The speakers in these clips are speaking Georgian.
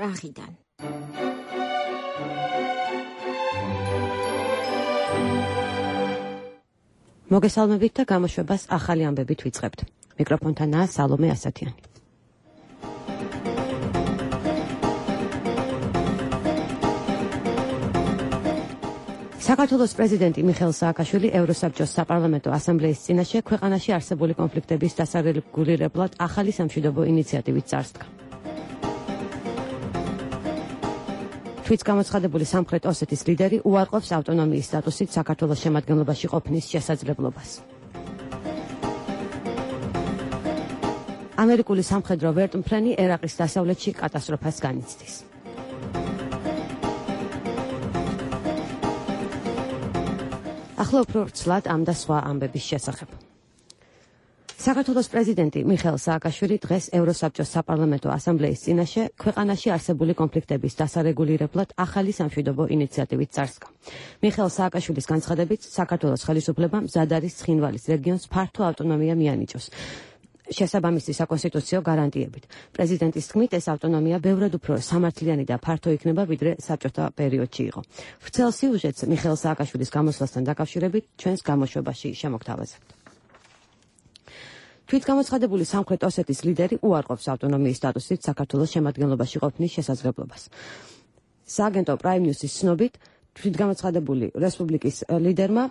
პრაღიდან. მოგესალმებით და გამოშვებას ახალი ამბებით ვიწყებთ. მიკროფონთანაა სალომე ასათიანი. საქართველოს პრეზიდენტი მიხეილ სააკაშვილი ევროსაბჭოს საპარლამენტო ასამბლეის წინაშე ქვეყანაში არსებული კონფლიქტების დასარეგულირებლად ახალი სამშვიდობო ინიციატივით წარსდგა. თვით გამოცხადებული სამხრეთ ოსეთის ლიდერი უარყოფს ავტონომიის სტატუსით საქართველოს შემადგენლობაში ყოფნის შესაძლებლობას. ამერიკული სამხედრო ვერტმფრენი ერაყის დასავლეთში კატასტროფას განიცდის. ახლა უფრო ცლად ამ და სხვა ამბების შესახებ. საქართველოს პრეზიდენტი მიხეილ სააკაშვილი დღეს ევროსაბჭოს საპარლამენტო ასამბლეის წინაშე ქვეყანაში არსებული კონფლიქტების დასარეგულირებლად ახალი სამშვიდობო ინიციატივით წარსდგა. მიხეილ სააკაშვილის განცხადებით, საქართველოს ხელისუფლებამ მზად არის ცხინვალის რეგიონს ფართო ავტონომია მიანიჭოს. შესაბამისი საკონსტიტუციო გარანტიებით. პრეზიდენტის თქმით, ეს ავტონომია ბევრად უფრო სამართლიანი და ფართო იქნება, ვიდრე საბჭოთა პერიოდში იყო. ვრცელ სიუჟეტს მიხეილ სააკაშვილის გამოსვლასთან დაკავშირებით ჩვენს გამოშვებაში შემოგთავაზებთ. თვით გამოცხადებული სამხრეთ ოსეთის ლიდერი უარყოფს ავტონომიის სტატუსით საქართველოს შემადგენლობაში ყოფნის შესაძლებლობას. სააგენტო Prime News-ის ცნობით, თვით გამოცხადებული რესპუბლიკის ლიდერმა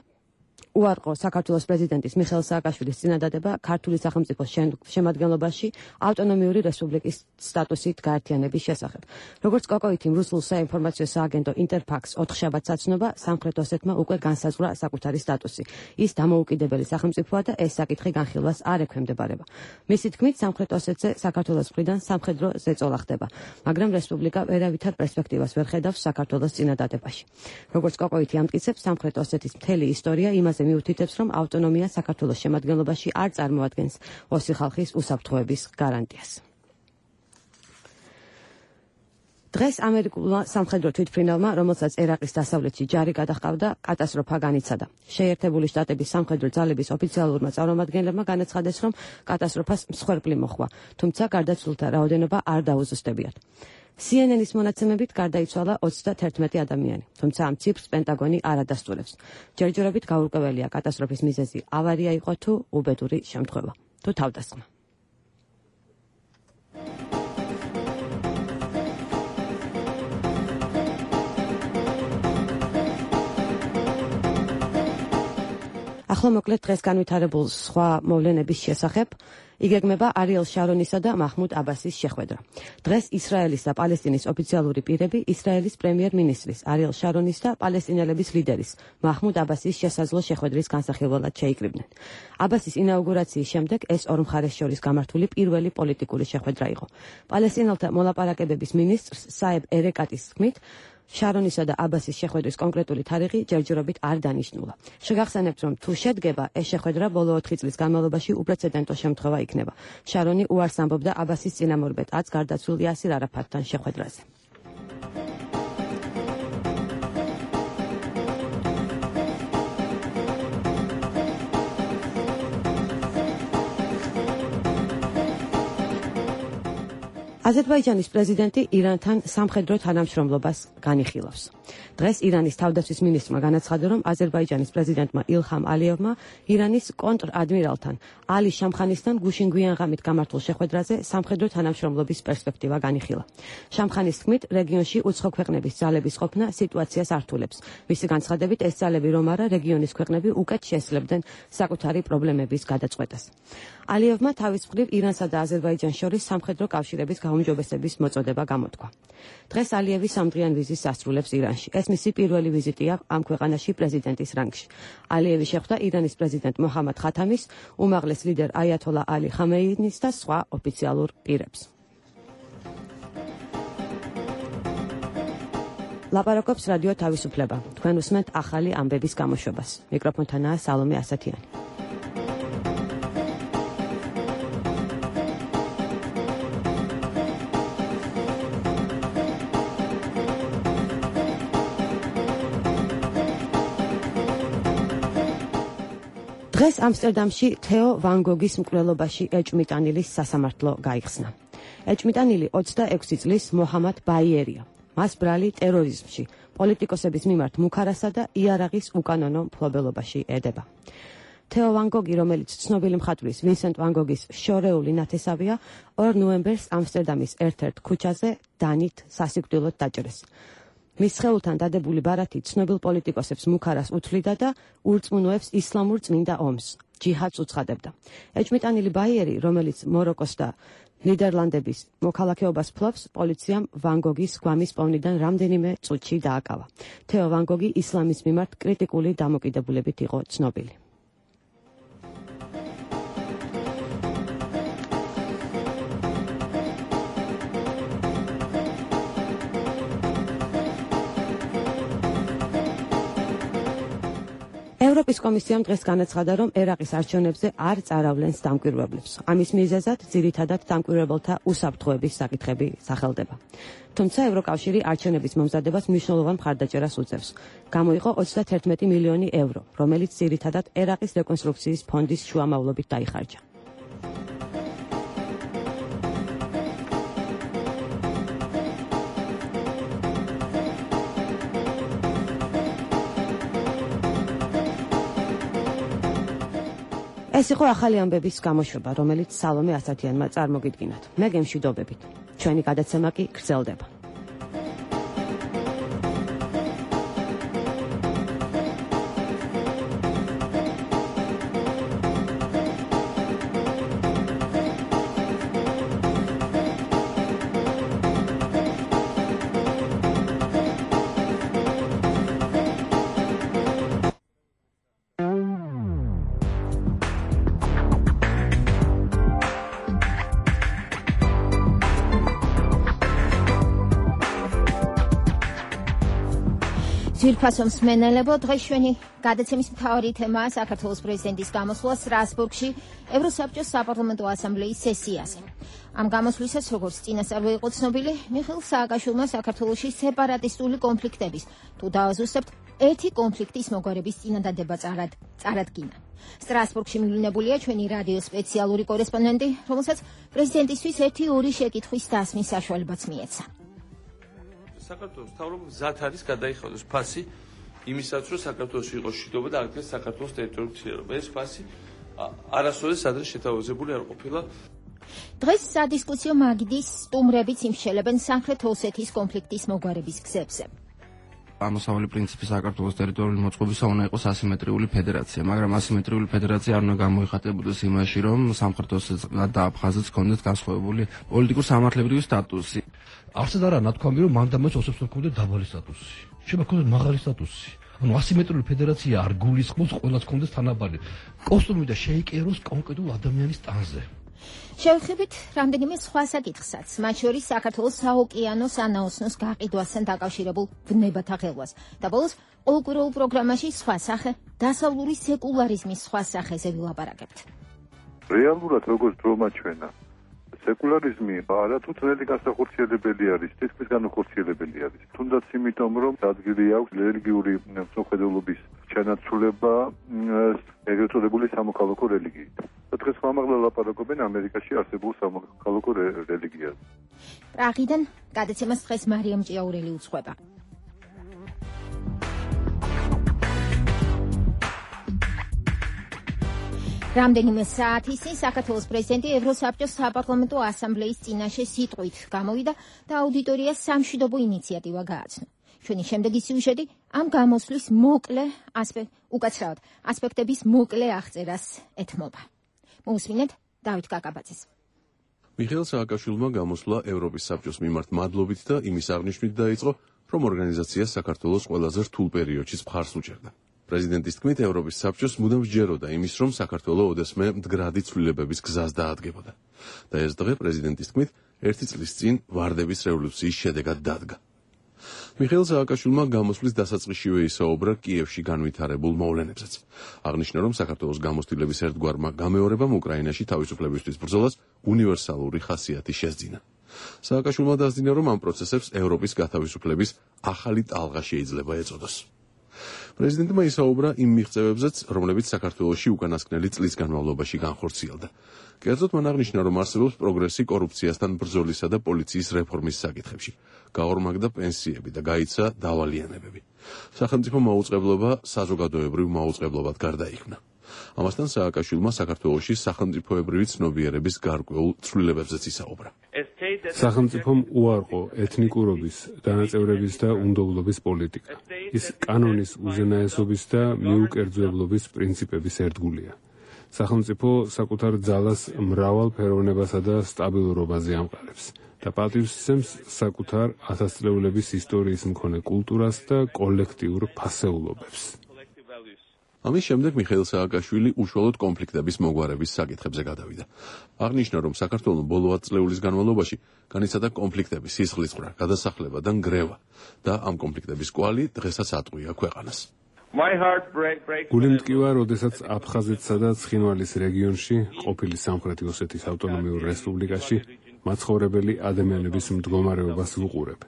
უარყო საქართველოს პრეზიდენტის მიხეილ სააკაშვილის წინადადება ქართული სახელმწიფოს შემადგენლობაში ავტონომიური რესპუბლიკის სტატუსით გაერთიანების შესახებ. როგორც კოკოითიმ რუსულ საინფორმაციო სააგენტო ინტერფაქს 4 შაბათს აცნობა, სამხრეთ ოსეთმა უკვე განსაზღვრა საკუთარი სტატუსი. ის დამოუკიდებელი სახელმწიფოა და ეს საკითხი განხილვას არ ექვემდებარება. მისი თქმით, სამხრეთ ოსეთზე საქართველოს მხრიდან სამხედრო ზეწოლა ხდება, მაგრამ რესპუბლიკა ვერავითარ პერსპექტივას ვერ ხედავს საქართველოს წინადადებაში. როგორც კოკოითი ამტკიცებს, სამხრეთ ოსეთის მთელი ისტორია იმაზე მიუთითებს, რომ ავტონომია საქართველოს შემადგენლობაში არ წარმოადგენს ოსი ხალხის უსაფრთხოების გარანტიას. დღეს ამერიკულმა სამხედრო თვითმფრინავმა, რომელსაც ერაყის დასავლეთში ჯარი გადაჰყავდა, კატასტროფა განიცადა. შეერთებული შტატების სამხედრო ძალების ოფიციალურმა წარმომადგენლებმა განაცხადეს, რომ კატასტროფას მსხვერპლი მოჰყვა, თუმცა გარდაცვლილთა რაოდენობა არ დაუზუსტებიათ. CNN-ის მონაცემებით გარდაიცვალა 31 ადამიანი, თუმცა ამ ციფრს პენტაგონი არ ადასტურებს. ჯერჯერობით გაურკვეველია კატასტროფის მიზეზი ავარია იყო თუ უბედური შემთხვევა, თუ თავდასხმა. ახლა მოკლედ დღეს განვითარებულ სხვა მოვლენების შესახებ იგეგმება არიელ შარონისა და მაჰმუდ აბასის შეხვედრა. დღეს ისრაელის და პალესტინის ოფიციალური პირები ისრაელის პრემიერ-მინისტრის არიელ შარონის და პალესტინელების ლიდერის მაჰმუდ აბასის შესაძლო შეხვედრის განსახილველად შეიკრიბნენ. აბასის ინაუგურაციის შემდეგ ეს ორ მხარეს შორის გამართული პირველი პოლიტიკური შეხვედრა იყო. პალესტინელთა მოლაპარაკებების მინისტრს საებ ერეკატის თქმით, შარონისა და აბასის შეხვედრის კონკრეტული თარიღი ჯერჯერობით არ დანიშნულა. შეგახსენებთ, რომ თუ შედგება ეს შეხვედრა ბოლო 4 წლის განმავლობაში უპრეცედენტო შემთხვევა იქნება. შარონი უარს ამბობდა აბასის წინამორბედაც გარდაცვლილ იასირ არაფატთან შეხვედრაზე. აზერბაიჯანის პრეზიდენტი ირანთან სამხედრო თანამშრომლობას განიხილავს. დღეს ირანის თავდაცვის მინისტრმა განაცხადა, რომ აზერბაიჯანის პრეზიდენტმა ილჰამ ალიევმა ირანის კონტრ-ადმირალთან ალი შამხანისთან გუშინ-გვიან ღამით გამართულ შეხვედრაზე სამხედრო თანამშრომლობის პერსპექტივა განიხილა. შამხანის თქმით, რეგიონში უცხო ქვეყნების ძალების ყოფნა სიტუაციას ართულებს. მისი განცხადებით, ეს ძალები რომ არა, რეგიონის ქვეყნები უკეთ შესძლებდნენ საკუთარი პრობლემების გადაწყვეტას. ალიევმა თავის მხრივ ირანსა და აზერბაიჯანს შორის სამხედრო კავშირების გაუმჯობესების მოწოდება გამოთქვა. დღეს ალიევი სამდღიან ვიზის ასრულებს ირანში. ეს მისი პირველი ვიზიტია ამ ქვეყანაში პრეზიდენტის რანგში. ალიევი შეხვდა ირანის პრეზიდენტ მოჰამად ხათამის, უმაღლეს ლიდერ აიათოლა ალი ხამეინის და სხვა ოფიციალურ პირებს. ლაპარაკობს რადიო თავისუფლება. თქვენ უსმენთ ახალი ამბების გამოშვებას. მიკროფონთანაა სალომე ასათიანი. დღეს ამსტერდამში თეო ვან გოგის მკვლელობაში ეჭვმიტანილის სასამართლო გაიხსნა. ეჭმიტანილი 26 წლის მოჰამად ბაიერია. მას ბრალი ტერორიზმში, პოლიტიკოსების მიმართ მუქარასა და იარაღის უკანონო მფლობელობაში ედება. თეო ვან გოგი, რომელიც ცნობილი მხატვრის ვინსენტ ვან გოგის შორეული ნათესავია, 2 ნოემბერს ამსტერდამის ერთ-ერთ ქუჩაზე დანით სასიკვდილოდ დაჭრეს. მის სხეულთან დადებული ბარათი ცნობილ პოლიტიკოსებს მუქარას უთვლიდა და ურწმუნოებს ისლამურ წმინდა ომს, ჯიჰადს უცხადებდა. ეჭმიტანილი ბაიერი, რომელიც მოროკოს და ნიდერლანდების მოქალაქეობას ფლობს, პოლიციამ ვან გოგის გვამის პოვნიდან რამდენიმე წუთში დააკავა. თეო ვან გოგი ისლამის მიმართ კრიტიკული დამოკიდებულებით იყო ცნობილი. ევროპის კომისიამ დღეს განაცხადა, რომ ერაყის არჩევნებზე არ წაავლენს დამკვირვებლებს. ამის მიზეზად ძირითადად დამკვირვებელთა უსაფრთხოების საკითხები სახელდება. თუმცა ევროკავშირი არჩევნების მომზადებას მნიშვნელოვან მხარდაჭერას უწევს. გამოიყო 31 მილიონი ევრო, რომელიც ძირითადად ერაყის რეკონსტრუქციის ფონდის შუამავლობით დაიხარჯა. ეს იყო ახალი ამბების გამოშვება, რომელიც სალომე ასათიანმა წარმოგიდგინათ. მე გემშვიდობებით. ჩვენი გადაცემა კი გრძელდება. ძვირფასო მსმენელებო, დღეს ჩვენი გადაცემის მთავარი თემაა საქართველოს პრეზიდენტის გამოსვლა სტრასბურგში ევროსაბჭოს საპარლამენტო ასამბლეის სესიაზე. ამ გამოსვლისას, როგორც წინასწარ იყო ცნობილი, მიხეილ სააკაშვილმა საქართველოში სეპარატისტული კონფლიქტების თუ დააზუსტებთ ერთი კონფლიქტის მოგვარების წინადადება წარადგინა. სტრასბურგში მივლინებულია ჩვენი რადიოს სპეციალური კორესპონდენტი, რომელსაც პრეზიდენტისთვის 1-2 შეკითხვის დასმის საშუალებაც მიეცა. საქართველოს მთავრობა მზად არის გადაიხადოს ფასი იმისაც, რომ საქართველოში იყოს მშვიდობა და აღდგეს საქართველოს ტერიტორიული ცვლილება. ეს ფასი არასოდეს ადრე შეთავაზებული არ ყოფილა. დღეს სადისკუსიო მაგიდის სტუმრებიც იმშელებენ სამხრეთ ოსეთის კონფლიქტის მოგვარების გზებზე. ამოსავალი პრინციპი საქართველოს ტერიტორიული მოწყობისა უნდა იყოს ასიმეტრიული ფედერაცია, მაგრამ ასიმეტრიული ფედერაცია არ უნდა გამოიხატებოდეს იმაში, რომ სამხრეთ ოსეთს და აფხაზეთს ჰქონდეთ განსხვავებული პოლიტიკურ-სამართლებრივი სტატუსი. არცად არა ნათქვამი, რომ მანდამაც ოსებს ჰქონდეთ დაბალი სტატუსი. შეიძლება ჰქონდეთ მაღალი სტატუსი. ანუ ასიმეტრიული ფედერაცია არ გულისხმობს ყველას ჰქონდეს თანაბარი კოსტუმი და შეიკეროს კონკრეტულ ადამიანის ტანზე. შევხედით რამდენიმე სხვა საკითხსაც, მათ შორის საქართველოს საოკეანო სანაოსნოს გაყიდვასთან დაკავშირებულ ბნებათა ხელვას. და ბოლოს ყოველკვირეულ პროგრამაში სხვა სახე, დასავლური სეკულარიზმის სხვა სახეზე ვილაპარაკებთ. რეალურად როგორც დრომაჩვენა, სეკულარიზმი არათუ ძნელი განსახორციელებელი არის, თითქმის განუხორციელებელი არის. თუნდაც იმიტომ, რომ ადგილი აქვს რელიგიური მსოფლმხედველობის ჩანაცვლება ეგრეთ წოდებული სამოქალაქო რელიგიით. დღეს ხმამაღლა ლაპარაკობენ ამერიკაში არსებულ სამოქალაქო რელიგიაზე. პრაღიდან გადაცემას დღეს მარიამ ჭიაურელი უძღვება. რამდენიმე საათის წინ საქართველოს პრეზიდენტი ევროსაბჭოს საპარლამენტო ასამბლეის წინაშე სიტყვით გამოვიდა და აუდიტორიას სამშვიდობო ინიციატივა გააცნო. ჩვენი შემდეგი სიუჟეტი ამ გამოსვლის უკაცრავად ასპექტების მოკლე აღწერას ეთმობა. მოусმინეთ დავით კაკაბაძეს. მიხეილ სააკაშვილმა გამოსვლა ევროპის საბჭოს მიმართ მადლობით და იმის აღნიშვნით დაიწყო, რომ ორგანიზაცია საქართველოს ყველაზე რთულ პერიოდში მხარს უჭერდა. პრეზიდენტის თქმით, ევროპის საბჭოს მუდამ სჯეროდა იმის, რომ საქართველო ოდესმე მდგრადი ცვლილებების გზას დაადგებოდა. და ეს დღე პრეზიდენტის თქმით, 1 წლის წინ ვარდების რევოლუციის შედეგად დადგა. მიხეილ სააკაშვილმა გამოსვლის დასაწყისშივე ისაუბრა კიევში განვითარებულ მოვლენებსაც. აღნიშნა, რომ საქართველოს გამოცდილების ერთგვარმა გამეორებამ უკრაინაში თავისუფლებისთვის ბრძოლას უნივერსალური ხასიათი შესძინა. სააკაშვილმა დასძინა, რომ ამ პროცესებს ევროპის გათავისუფლების ახალი ტალღა შეიძლება ეწოდოს. პრეზიდენტმა ისაუბრა იმ მიღწევებზეც, რომლებიც საქართველოში უკანასკნელი წლის განმავლობაში განხორციელდა. კერძოდ მან აღნიშნა, რომ არსებობს პროგრესი კორუფციასთან ბრძოლისა და პოლიციის რეფორმის საკითხებში. გაორმაგდა პენსიები და გაიცა დავალიანებები. სახელმწიფო მაუწყებლობა საზოგადოებრივ მაუწყებლობად გარდაიქმნა. ამასთან სააკაშვილმა საქართველოში სახელმწიფოებრივი ცნობიერების გარკვეულ ცვლილებებზეც ისაუბრა. სახელმწიფომ უარყო ეთნიკურობის, დანაწევრების და უნდობლობის პოლიტიკა. ის კანონის უზენაესობის და მიუკერძოებლობის პრინციპების ერთგულია. სახელმწიფო საკუთარ ძალას მრავალფეროვნებასა და სტაბილურობაზე ამყარებს და პატივს ისემს საკუთარ ათასწლეულების ისტორიის მქონე კულტურას და კოლექტიურ ფასეულობებს. ამის შემდეგ მიხეილ სააკაშვილი უშუალოდ კონფლიქტების მოგვარების საკითხებზე გადავიდა. აღნიშნა, რომ საქართველოს ბოლო 10 წლეულის განმავლობაში განიცადა კონფლიქტების სისხლისღვრა, გადასახლება და ნგრევა და ამ კონფლიქტების კვალი დღესაც ატყვია ქვეყანას. გული მტკივა, როდესაც აფხაზეთსა და ცხინვალის რეგიონში, ყოფილი სამხრეთი ოსეთის ავტონომიურ რესპუბლიკაში, მაცხოვრებელი ადამიანების მდგომარეობას ვუყურებ.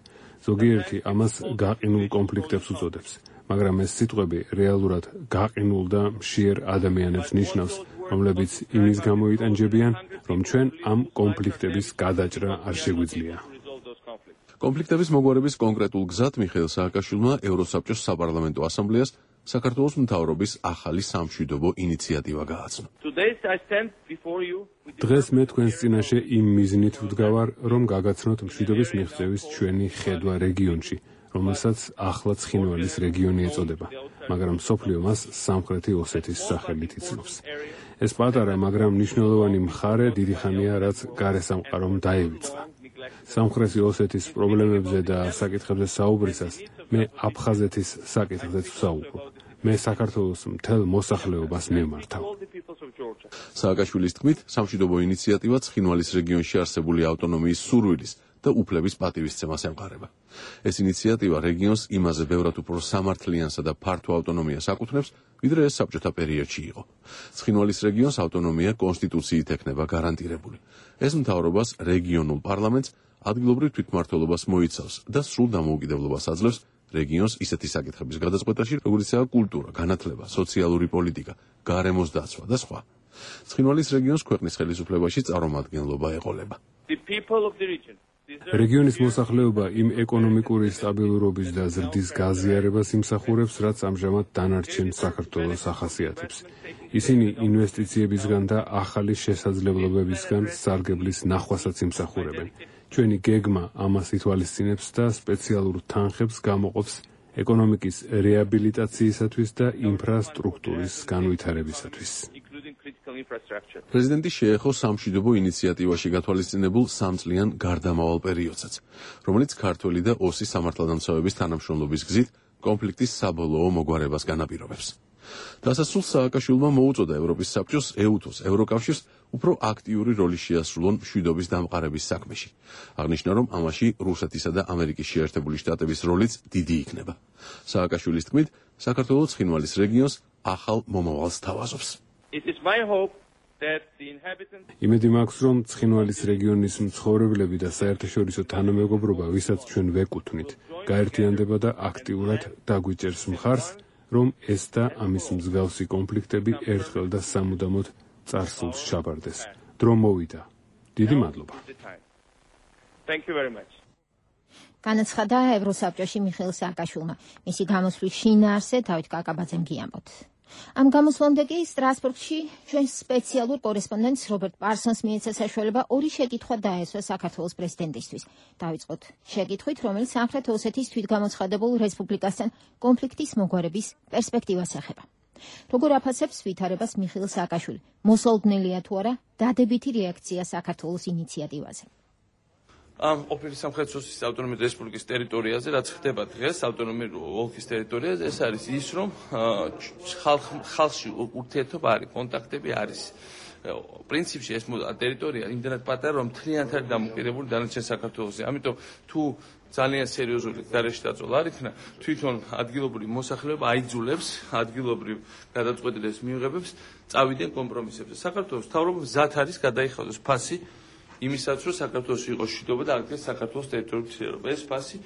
ზოგიერთი ამას გაყინულ კონფლიქტებს უწოდებს, მაგრამ ეს სიტყვები რეალურად გაყინულ და მშიერ ადამიანებს ნიშნავს, რომლებიც იმის გამო იტანჯებიან, რომ ჩვენ ამ კონფლიქტების გადაჭრა არ შეგვიძლია. კონფლიქტების მოგვარების კონკრეტულ გზად მიხეილ სააკაშვილმა ევროსაბჭოს საპარლამენტო ასამბლეას საქართველოს მთავრობის ახალი სამშვიდობო ინიციატივა გააცნო. დღეს მე თქვენს წინაშე იმ მიზნით ვდგავარ, რომ გაგაცნოთ მშვიდობის მიღწევის ჩვენი ხედვა რეგიონში, რომელსაც ახლა ცხინვალის რეგიონი ეწოდება, მაგრამ მსოფლიო მას სამხრეთი ოსეთის სახელით იცნობს. ეს პატარა, მაგრამ მნიშვნელოვანი მხარე დიდი ხანია, რაც გარესამყარომ დაივიწყა. სამხრეთი ოსეთის პრობლემებზე და საკითხებზე საუბრისას მე აფხაზეთის საკითხზეც ვსაუბრობ. მე საქართველოს მთელ მოსახლეობას მიმართავ. სააკაშვილის თქმით, სამშვიდობო ინიციატივა ცხინვალის რეგიონში არსებული ავტონომიის სურვილის და უფლების პატივისცემას ემყარება. ეს ინიციატივა რეგიონს იმაზე ბევრად უფრო სამართლიანსა და ფართო ავტონომიას აკუთვნებს, ვიდრე ეს საბჭოთა პერიოდში იყო. ცხინვალის რეგიონს ავტონომია კონსტიტუციით ექნება გარანტირებული. ეს მთავრობას რეგიონულ პარლამენტს ადგილობრივ თვითმმართველობას მოიცავს და სრულ დამოუკიდებლობას აძლევს რეგიონს ისეთი საკითხების გადაწყვეტაში, როგორიცაა კულტურა, განათლება, სოციალური პოლიტიკა, გარემოს დაცვა და სხვა. ცხინვალის რეგიონს ქვეყნის ხელისუფლებაში წარმომადგენლობა ეყოლება. რეგიონის მოსახლეობა იმ ეკონომიკური სტაბილურობის და ზრდის გაზიარებას იმსახურებს, რაც ამჟამად დანარჩენ საქართველოს ახასიათებს. ისინი ინვესტიციებისგან და ახალი შესაძლებლობებისგან სარგებლის ნახვასაც იმსახურებენ. ჩვენი გეგმა ამას ითვალისწინებს და სპეციალურ თანხებს გამოყოფს ეკონომიკის რეაბილიტაციისათვის და ინფრასტრუქტურის განვითარებისათვის. პრეზიდენტი შეეხო სამშვიდობო ინიციატივაში გათვალისწინებულ 3 წლიან გარდამავალ პერიოდსაც, რომელიც ქართველი და ოსი სამართალდამცავების თანამშრომლობის გზით კონფლიქტის საბოლოო მოგვარებას განაპირობებს. დასასრულს სააკაშვილმა მოუწოდა ევროპის საბჭოს, ეუთოს, ევროკავშირს უფრო აქტიური როლი შეასრულონ მშვიდობის დამყარების საქმეში. აღნიშნა, რომ ამაში რუსეთისა და ამერიკის შეერთებული შტატების როლიც დიდი იქნება. სააკაშვილის თქმით, საქართველოს ცხინვალის რეგიონს ახალ მომავალს თავაზობს. იმედი მაქვს, რომ ცხინვალის რეგიონის მცხოვრებლები და საერთაშორისო თანამეგობრობა, ვისაც ჩვენ ვეკუთვნით, გაერთიანდება და აქტიურად დაგვიჭერს მხარს, რომ ეს და ამის მსგავსი კონფლიქტები ერთხელ და სამუდამოდ წარსულს ჩაბარდეს. დრო მოვიდა. დიდი მადლობა. განაცხადა ევროსაბჭოში მიხეილ სააკაშვილმა. მისი გამოსვლის შინაარსზე დავით კაკაბაძემ გიამბოთ. ამ გამოსვლამდე კი სტრასბურგში ჩვენ სპეციალურ კორესპონდენტს რობერტ პარსონს მიეცა საშუალება ორი შეკითხვა დაესვა საქართველოს პრეზიდენტისთვის. დავიწყოთ შეკითხვით, რომელიც სამხრეთ ოსეთის თვითგამოცხადებულ რესპუბლიკასთან კონფლიქტის მოგვარების პერსპექტივას ეხება. როგორ აფასებს ვითარებას მიხეილ სააკაშვილი? მოსალოდნელია თუ არა დადებითი რეაქცია საქართველოს ინიციატივაზე? ამ ყოფილი სამხრეთ ოსეთის ავტონომიური რესპუბლიკის ტერიტორიაზე, რაც ხდება დღეს ავტონომიური ოლქის ტერიტორიაზე, ეს არის ის, რომ ხალხში ურთიერთობა არის, კონტაქტები არის. პრინციპში ეს ტერიტორია იმდენად პატარა, რომ მთლიანად არის დამოკიდებული დანარჩენ საქართველოსზე. ამიტომ თუ ძალიან სერიოზული გარეშე დაწოლა არ იქნა, თვითონ ადგილობრივი მოსახლეობა აიძულებს ადგილობრივ გადაწყვეტილებას მიიღებს, წავიდნენ კომპრომისებზე. საქართველოს მთავრობა მზად არის გადაიხადოს ფასი იმისაც, რომ საქართველოში იყოს მშვიდობა და აღდგეს საქართველოს ტერიტორიული ცვლილება. ეს ფასი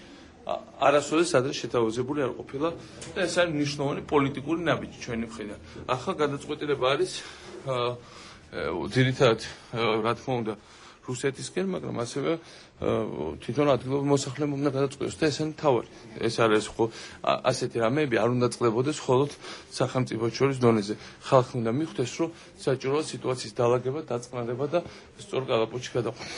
არასოდეს ადრე შეთავაზებული არ ყოფილა და ეს არის მნიშვნელოვანი პოლიტიკური ნაბიჯი ჩვენი მხრიდან. ახლა გადაწყვეტილება არის ძირითადად რა თქმა უნდა რუსეთისკენ, მაგრამ ასევე თვითონ ადგილობრივ მოსახლეობამ უნდა გადაწყვეტოს და ესენი თავარი. ეს არის ხო ასეთი რამეები არ უნდა წყდებოდეს მხოლოდ სახელმწიფო შორის დონეზე. ხალხი უნდა მიხვდეს, რომ საჭიროა სიტუაციის დალაგება, დაწყნადება და სწორ კალაპოტში გადაყვანა.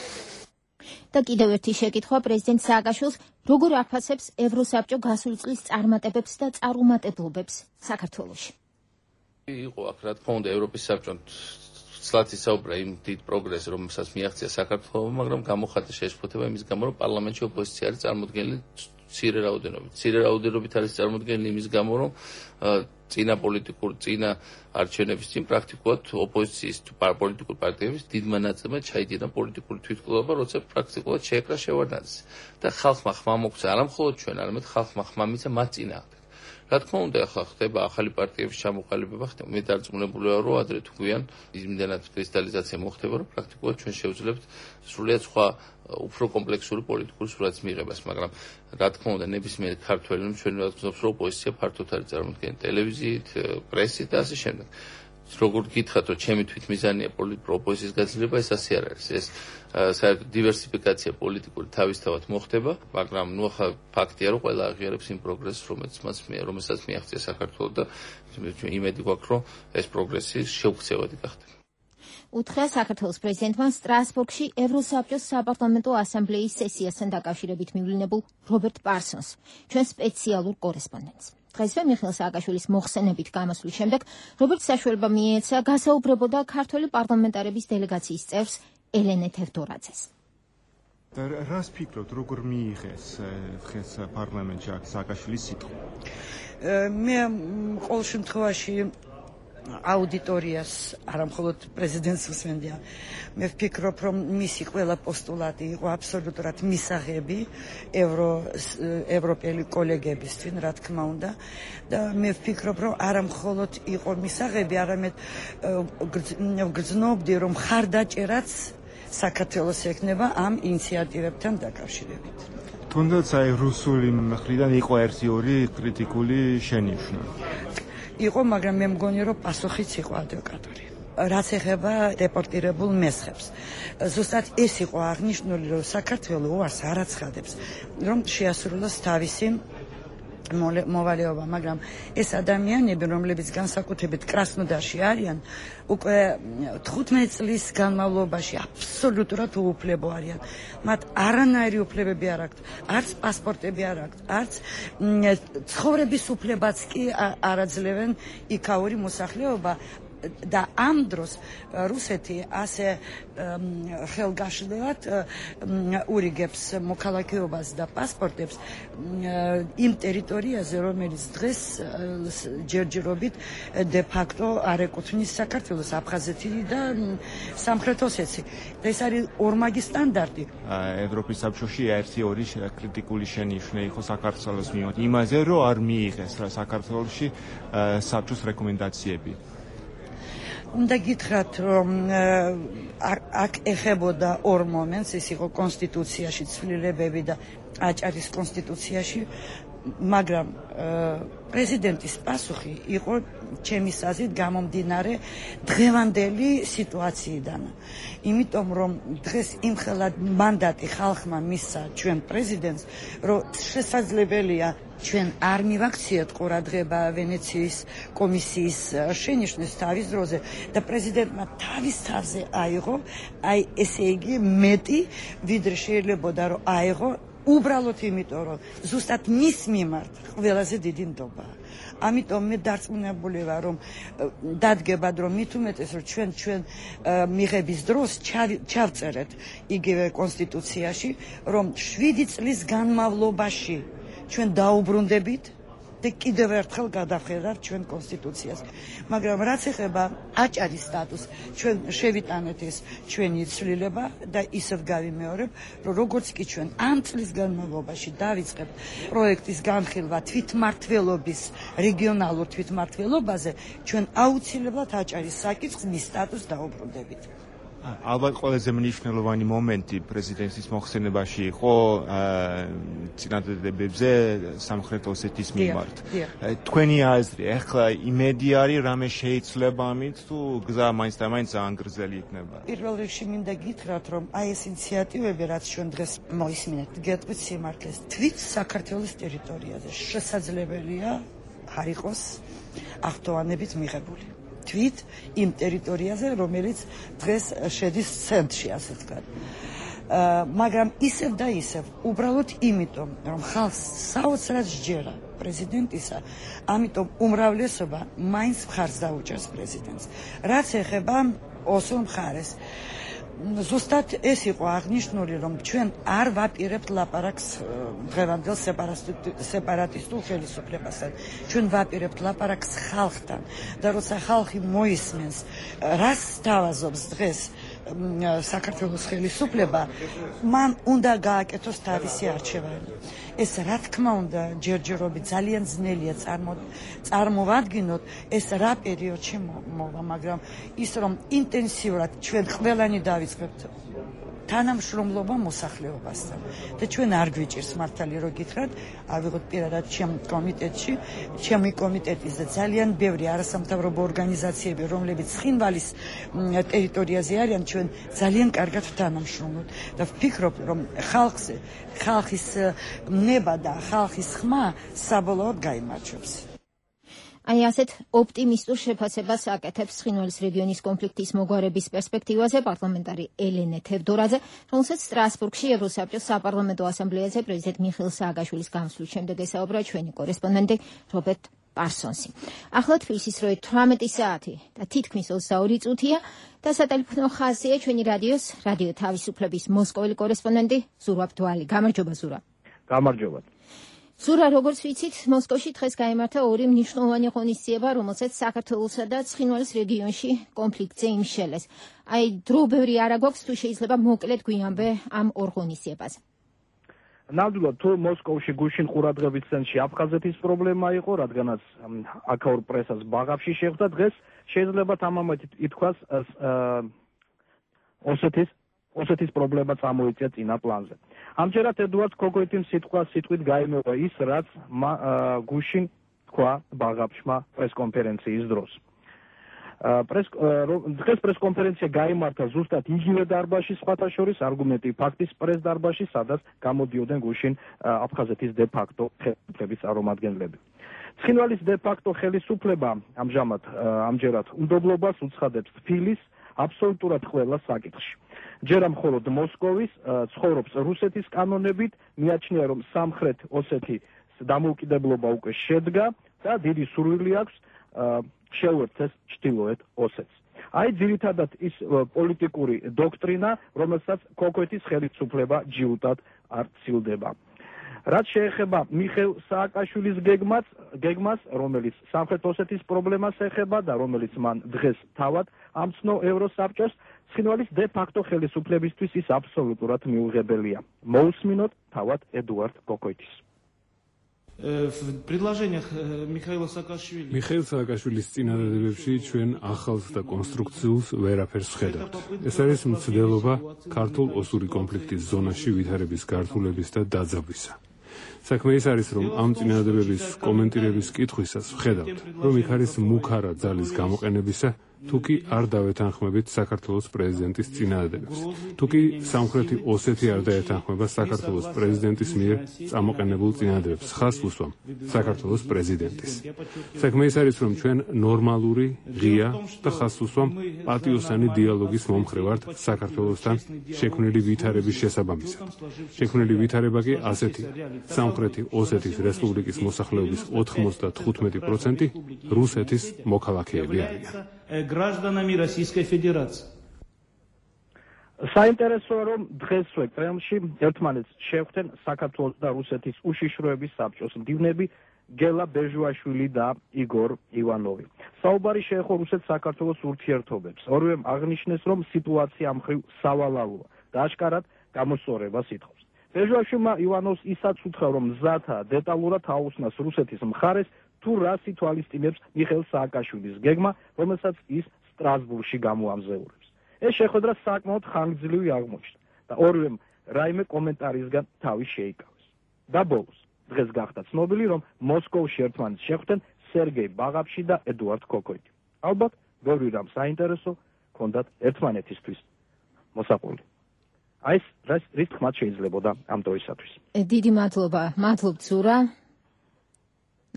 და კიდევ ერთი შეკითხვა პრეზიდენტ სააკაშვილს, როგორ აფასებს ევროსაბჭო გასული წლის წარმატებებს და წარუმატებლობებს საქართველოში? იყო აქ რა თქმა უნდა ევროპის საბჭომ ცლად ისაუბრა იმ დიდ პროგრესს, რომელსაც მიაღწია საქართველოს, მაგრამ გამოხატა შეშფოთება იმის გამო, რომ პარლამენტში ოპოზიცია არის წარმოდგენილი მცირე რაოდენობით. მცირე რაოდენობით არის წარმოდგენილი იმის გამო, რომ წინა არჩევნების წინ პრაქტიკულად ოპოზიციის პოლიტიკურ პარტიების დიდმა ნაწილმა ჩაიდინა პოლიტიკური თვითმკვლელობა, როცა პრაქტიკულად შეეკრა შევარდნაძის. და ხალხმა ხმა მოგვცა, არა მხოლოდ ჩვენ, არამედ ხალხმა ხმა მიცა მათ წინააღმდეგ. რა თქმა უნდა, ახლა ხდება ახალი პარტიების ჩამოყალიბება, მე დარწმუნებული ვარ, რომ ადრე თუ გვიან იმდენად კრისტალიზაცია მოხდება, რომ პრაქტიკულად ჩვენ შევძლებთ სრულიად სხვა უფრო კომპლექსური პოლიტიკური სურათის მიღებას, მაგრამ რა თქმა უნდა, ნებისმიერ ქართველი ჩვენ ვაცნობს, რომ ოპოზიცია ფართოდ არის წარმოქმნილი ტელევიზიით, პრესით და ასე შემდეგ. როგორ გითხრათ, რომ ჩემი თვითმიზანია ოპოზიციის გაძლიერება, ეს ასე არ არის. ეს საერთოდ დივერსიფიკაცია პოლიტიკური თავისთავად მოხდება, მაგრამ ნუ ახლა ფაქტია, რომ ყველა აღიარებს იმ პროგრესს, რომელსაც მიაღწია საქართველოს და იმედი გვაქვს, რომ ეს პროგრესი შეუქცევადი გახდება. უთხრა საქართველოს პრეზიდენტმა სტრასბურგში ევროსაბჭოს საპარლამენტო ასამბლეის სესიასთან დაკავშირებით მივლინებულ რობერტ პარსონს, ჩვენ სპეციალურ კორესპონდენტს. დღესვე მიხეილ სააკაშვილის მოხსენებით გამოსვლის შემდეგ რობერტ საშუალება მიეცა გასაუბრებოდა ქართველი პარლამენტარების დელეგაციის წევრს ელენე თევდორაძეს. რას ფიქრობთ, როგორ მიიღეს დღეს პარლამენტში სააკაშვილის სიტყვა? მე ყოველ შემთხვევაში აუდიტორიას არა მხოლოდ პრეზიდენტს უსმენდია. მე ვფიქრობ, რომ მისი ყველა პოსტულატი იყო აბსოლუტურად მისაღები ევროპელი კოლეგებისთვის, რა თქმა უნდა. და მე ვფიქრობ, რომ არა მხოლოდ იყო მისაღები, არამედ გრძნობდი, რომ ხარდაჭერაც საქართველოს ექნება ამ ინიციატივებთან დაკავშირებით. თუნდაც აი რუსული მხრიდან იყო ერთი-ორი კრიტიკული შენიშვნა. იყო, მაგრამ მე მგონი, რომ პასუხიც იყო ადეკვატური. რაც ეხება დეპორტირებულ მესხებს. ზუსტად ეს იყო აღნიშნული, რომ საქართველოს უარს არ აცხადებს, რომ შეასრულოს თავისი მოვალეობა, მაგრამ ეს ადამიანები, რომლებიც განსაკუთრებით კრასნოდარში არიან, უკვე 15 წლის განმავლობაში აბსოლუტურად უუფლებო არიან. მათ არანაირი უფლებები არ აქვთ, არც პასპორტები არ აქვთ, არც ცხოვრების უფლებაც კი არ აძლევენ იქაური მოსახლეობა. და ამ დროს რუსეთი ასე ხელგაშლილად ურიგებს მოქალაქეობას და პასპორტებს იმ ტერიტორიაზე, რომელიც დღეს ჯერჯერობით დე ფაქტო არ ეკუთვნის საქართველოს, აფხაზეთი და სამხრეთ ოსეთი. ეს არის ორმაგი სტანდარტი. ევროპის საბჭოში ერთი-ორი კრიტიკული შენიშვნა იყო საქართველოს მიმართ იმაზე, რომ არ მიიღეს საქართველოში საბჭოს რეკომენდაციები. უნდა გითხრათ, რომ აქ ეხებოდა ორ მომენტს, ის იყო კონსტიტუციაში ცვლილებები და აჭარის კონსტიტუციაში, მაგრამ პრეზიდენტის პასუხი იყო ჩემი აზრით გამომდინარე დღევანდელი სიტუაციიდან. იმიტომ რომ დღეს იმხელად მანდატი ხალხმა მისცა ჩვენ პრეზიდენტს, რომ შესაძლებელია ჩვენ არ მივაქციეთ ყურადღება ვენეციის კომისიის შენიშვნის თავის დროზე და პრეზიდენტმა თავის თავზე აიღო, აი ესე იგი მეტი ვიდრე შეიძლებოდა რომ აიღო, უბრალოდ იმიტომ რომ ზუსტად მის მიმართ ყველაზე დიდი ნდობაა. ამიტომ მე დარწმუნებული ვარ, რომ დადგებად, რომ მით უმეტეს, რომ ჩვენ მიღების დროს ჩავწერეთ იგივე კონსტიტუციაში, რომ 7 წლის განმავლობაში ჩვენ დაუბრუნდებით და კიდევ ერთხელ გადავხედავთ ჩვენ კონსტიტუციას. მაგრამ რაც ეხება აჭარის სტატუსს, ჩვენ შევიტანეთ ეს ჩვენი ცვლილება და ისევ გავიმეორებ, რომ როგორც კი ჩვენ ამ წლის განმავლობაში დავიწყებთ პროექტის განხილვა თვითმმართველობის რეგიონალურ თვითმმართველობაზე, ჩვენ აუცილებლად აჭარის საკითხს მის სტატუსს დაუბრუნდებით. ალბათ ყველაზე მნიშვნელოვანი მომენტი პრეზიდენტის მოხსენებაში იყო წინადადებებზე სამხრეთ ოსეთის მიმართ. თქვენი აზრი, ახლა იმედი არის რამე შეიძლება ამით თუ გზა მაინც და მაინც ძალიან გრძელი იქნება? პირველ რიგში მინდა გითხრათ, რომ აი ეს ინიციატივები, რაც ჩვენ დღეს მოისმინეთ, გეტყვით სიმართლეს, თვით საქართველოს ტერიტორიაზე შესაძლებელია არ იყოს აღთოვანებით მიღებული. თვით იმ ტერიტორიაზე, რომელიც დღეს შედის ცენტრში, ასე ვთქვათ. მაგრამ ისევ და ისევ, უბრალოდ იმიტომ, რომ ხალხს საოცრად სჯერა პრეზიდენტისა, ამიტომ უმრავლესობა მაინც მხარს დაუჭერს პრეზიდენტს. რაც ეხება ოსურ მხარეს, ზუსტად ეს იყო აღნიშნული, რომ ჩვენ არ ვაპირებთ ლაპარაკს დღევანდელ სეპარატისტულ ხელისუფლებასთან. ჩვენ ვაპირებთ ლაპარაკს ხალხთან და როცა ხალხი მოისმენს, რას თავაზობს დღეს საქართველოს ხელისუფლება, მან უნდა გააკეთოს თავისი არჩევანი. ეს რა თქმა უნდა ჯერჯერობით ძალიან ძნელია წარმოვადგინოთ ეს რა პერიოდში მოვა, მაგრამ ის რომ ინტენსიურად ჩვენ ყველანი დავიწყებთ თანამშრომლობა მოსახლეობასთან და ჩვენ არ გვიჭირს მართალი რო გითხრათ, ავიღოთ პირადად ჩემი კომიტეტის და ძალიან ბევრი არასამთავრობო ორგანიზაციები, რომლებიც ცხინვალის ტერიტორიაზე არიან, ჩვენ ძალიან კარგად ვთანამშრომლობთ და ვფიქრობ, რომ ხალხის ნება და ხალხის ხმა საბოლოოდ გაიმარჯვებს. აი ასეთ ოპტიმისტურ შეფასებას აკეთებს ცხინვალის რეგიონის კონფლიქტის მოგვარების პერსპექტივაზე პარლამენტარი ელენე თევდორაძე, რომელსაც სტრასბურგში ევროსაბჭოს საპარლამენტო ასამბლეაზე პრეზიდენტ მიხეილ სააკაშვილის გამოსვლის შემდეგ ესაუბრა ჩვენი კორესპონდენტი რობერტ პარსონსი. ახლა თბილისის როე 18 საათი და თითქმის 22 წუთია და სატელეფონო ხაზია ჩვენი რადიო თავისუფლების მოსკოველი კორესპონდენტი ზურაბ დვალი. გამარჯობა ზურაბ. გამარჯობა. ზურა, როგორც ვიცით, მოსკოვში დღეს გაიმართა ორი მნიშვნელოვანი ღონისძიება, რომელსაც საქართველოსა და ცხინვალის რეგიონში კონფლიქტზე იმშელეს. აი, დრო ბევრი არა გვაქვს, თუ შეიძლება მოკლედ გვიამბე ამ ორ ღონისძიებაზე. ნამდვილად, თუ მოსკოვში გუშინ ყურადღების ცენტრში აფხაზეთის პრობლემა იყო, რადგანაც აქაურ პრესას ბაღავში შეხვდა, დღეს შეიძლება თამამად ითქვას ოსეთის პრობლემა წამოიწია წინა პლანზე. ამჯერად ედუარდ კოკოიტიმ სიტყვით გაიმეორა ის, რაც გუშინ თქვა ბაღავშმა პრესკონფერენციის დროს. დღეს პრესკონფერენცია გაიმართა ზუსტად იგივე დარბაზში, სხვათა შორის არგუმენტი ფაქტის პრეს-დარბაზში, სადაც გამოდიოდნენ გუშინ აფხაზეთის დე-ფაქტო ხელისუფლების წარმომადგენლები. ცხინვალის დე-ფაქტო ხელისუფლება ამჯერად უნდობლობას უცხადებს თბილის აბსოლუტურად ყველა საკითხში. ჯერა მხოლოდ მოსკოვის ცხოვრობს რუსეთის კანონებით, მიაჩნია რომ სამხრეთ ოსეთის დამოუკიდებლობა უკვე შედგა და დიდი სურვილი აქვს შეუერთდეს ჩრდილოეთ ოსეთს. აი ძირითადად ის პოლიტიკური დოქტრინა, რომელსაც კოკოიტის ხელისუფლება ჯიუტად არ ცილდება. რაც შეეხება მიხეილ სააკაშვილის გეგმას, რომელიც სამხრეთ ოსეთის პრობლემას ეხება და რომელიც მან დღეს თავად ამცნო ევროსაბჭოს, ცხინვალის დე-ფაქტო ხელისუფლებისთვის ის აბსოლუტურად მიუღებელია. მოусმინოთ თავად ედუარდ კოკოიტის. მიხეილ სააკაშვილის წინადადებებში ჩვენ ახალს და კონსტრუქციულს ვერაფერს ვხედავთ. ეს არის მცდელობა ქართულ ოსური კონფლიქტის ზონაში ვითარების გართულების და დაძაბვისა. საქმე ის არის, რომ ამ წინადადებების კომენტირების კითხვისას ვხედავთ, რომ იქ არის მუქარა ძალის გამოყენებისა, თუკი არ დავეთანხმებით საქართველოს პრეზიდენტის წინადადებებს. თუკი სამხრეთი ოსეთი არ დაეთანხმება საქართველოს პრეზიდენტის მიერ წამოყენებულ წინადადებებს, ხას უსვამ საქართველოს პრეზიდენტის. საქმე ის არის, რომ ჩვენ ნორმალური, ღია და ხას უსვამ პატიოსანი დიალოგის მომხრე ვართ საქართველოსთან შექმნილი ვითარების შესაბამისად. შექმნილი ვითარება კი ასეთია. სამხრეთი ოსეთის რესპუბლიკის მოსახლეობის 95% რუსეთის მოქალაქეები არიან. гражданами Российской Федерации. საინტერესოა, რომ დღესვე კრემლში ერთმანეთს შეხვდნენ საქართველოს და რუსეთის უშიშროების საბჭოს მდივნები გელა ბეჟუაშვილი და იგორ ივანოვი. საუბარი შეეხო რუსეთ-საქართველოს ურთიერთობებს. ორივემ აღნიშნეს, რომ სიტუაცია მხრივ სავალალოა და აშკარად გამოსწორებას ითხოვს. ბეჟუაშვილმა ივანოვს ისაც უთხრა, რომ მზათა დეტალურად აუხსნას რუსეთის მხარეს თუ რას ითვალისწინებს მიხეილ სააკაშვილის გეგმა, რომელსაც ის სტრასბურგში გამოამზეურებს. ეს შეხვედრა საკმაოდ ხანგრძლივი აღმოჩნდა და ორივემ რაიმე კომენტარისგან თავი შეიკავეს. და ბოლოს დღეს გახდა ცნობილი, რომ მოსკოვში ერთმანეთს შეხვდნენ სერგეი ბაღაფში და ედუარდ კოკოიდი. ალბათ ბევრი რამ საინტერესო ჰქონდათ ერთმანეთისთვის მოსაყოლი. აი ეს რის თქმაც შეიძლებოდა ამ დროისათვის. დიდი მადლობა, მადლობთ ზურა.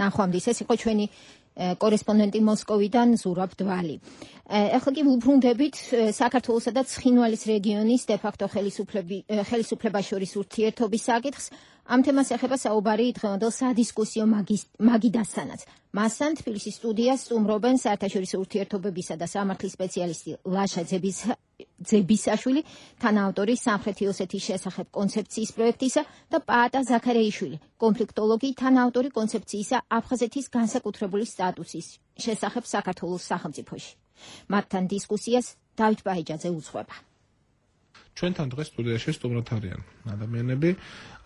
ნახვამდის ეს იყო ჩვენი კორესპონდენტი მოსკოვიდან ზურაბ დვალი. ახლა კი ვუბრუნდებით საქართველოსა და ცხინვალის რეგიონის დე-ფაქტო ხელისუფლებას შორის ურთიერთობის საკითხს. ამ თემას ეხება საუბარი დღევანდელ სადისკუსიო მაგიდასთანაც. მასთან თბილისის სტუდიას სტუმრობენ საერთაშორისო ურთიერთობებისა და სამართლის სპეციალისტი ლაშა ძებისაშვილი, თანაავტორი სამხრეთი ოსეთის შესახებ კონცეფციის პროექტისა და პაატა ზაქარეიშვილი, კონფლიქტოლოგი, თანაავტორი კონცეფციისა აფხაზეთის განსაკუთრებული სტატუსის შესახებ საქართველოს სახელმწიფოში. მათთან დისკუსიას დავით ბაიჯაძე უძღვება. ჩვენთან დღეს სტუდიაში სტუმრად არიან ადამიანები,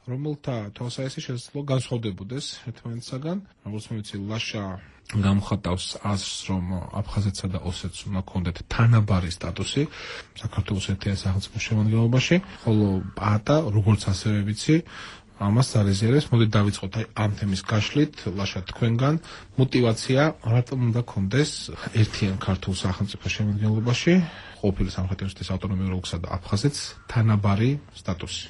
რომელთა თვალსაჩინო შესაძლო განსხვავდებოდეს ერთმანეთსაგან. როგორც მოვიცი, ლაშა გამხატავს აზრს, რომ აფხაზეთსა და ოსეთს უნდა ჰქონდეთ თანაბარი სტატუსი საქართველოს ერთიან სახელმწიფოს შემადგენლობაში, ხოლო პაატა, როგორც ასევე ვიცი, ამას არეზერებს. მოდით დავიწყოთ ამ თემის გაშლით. ლაშა, თქვენგან мотивация რატომ უნდა ჰქონდეს ერთიან ქართულ სახელმწიფოს შემადგენლობაში ყოფილი სამხრეთ ოსეთის ავტონომიურ ოლქსა და აფხაზეთს თანაბარი სტატუსი?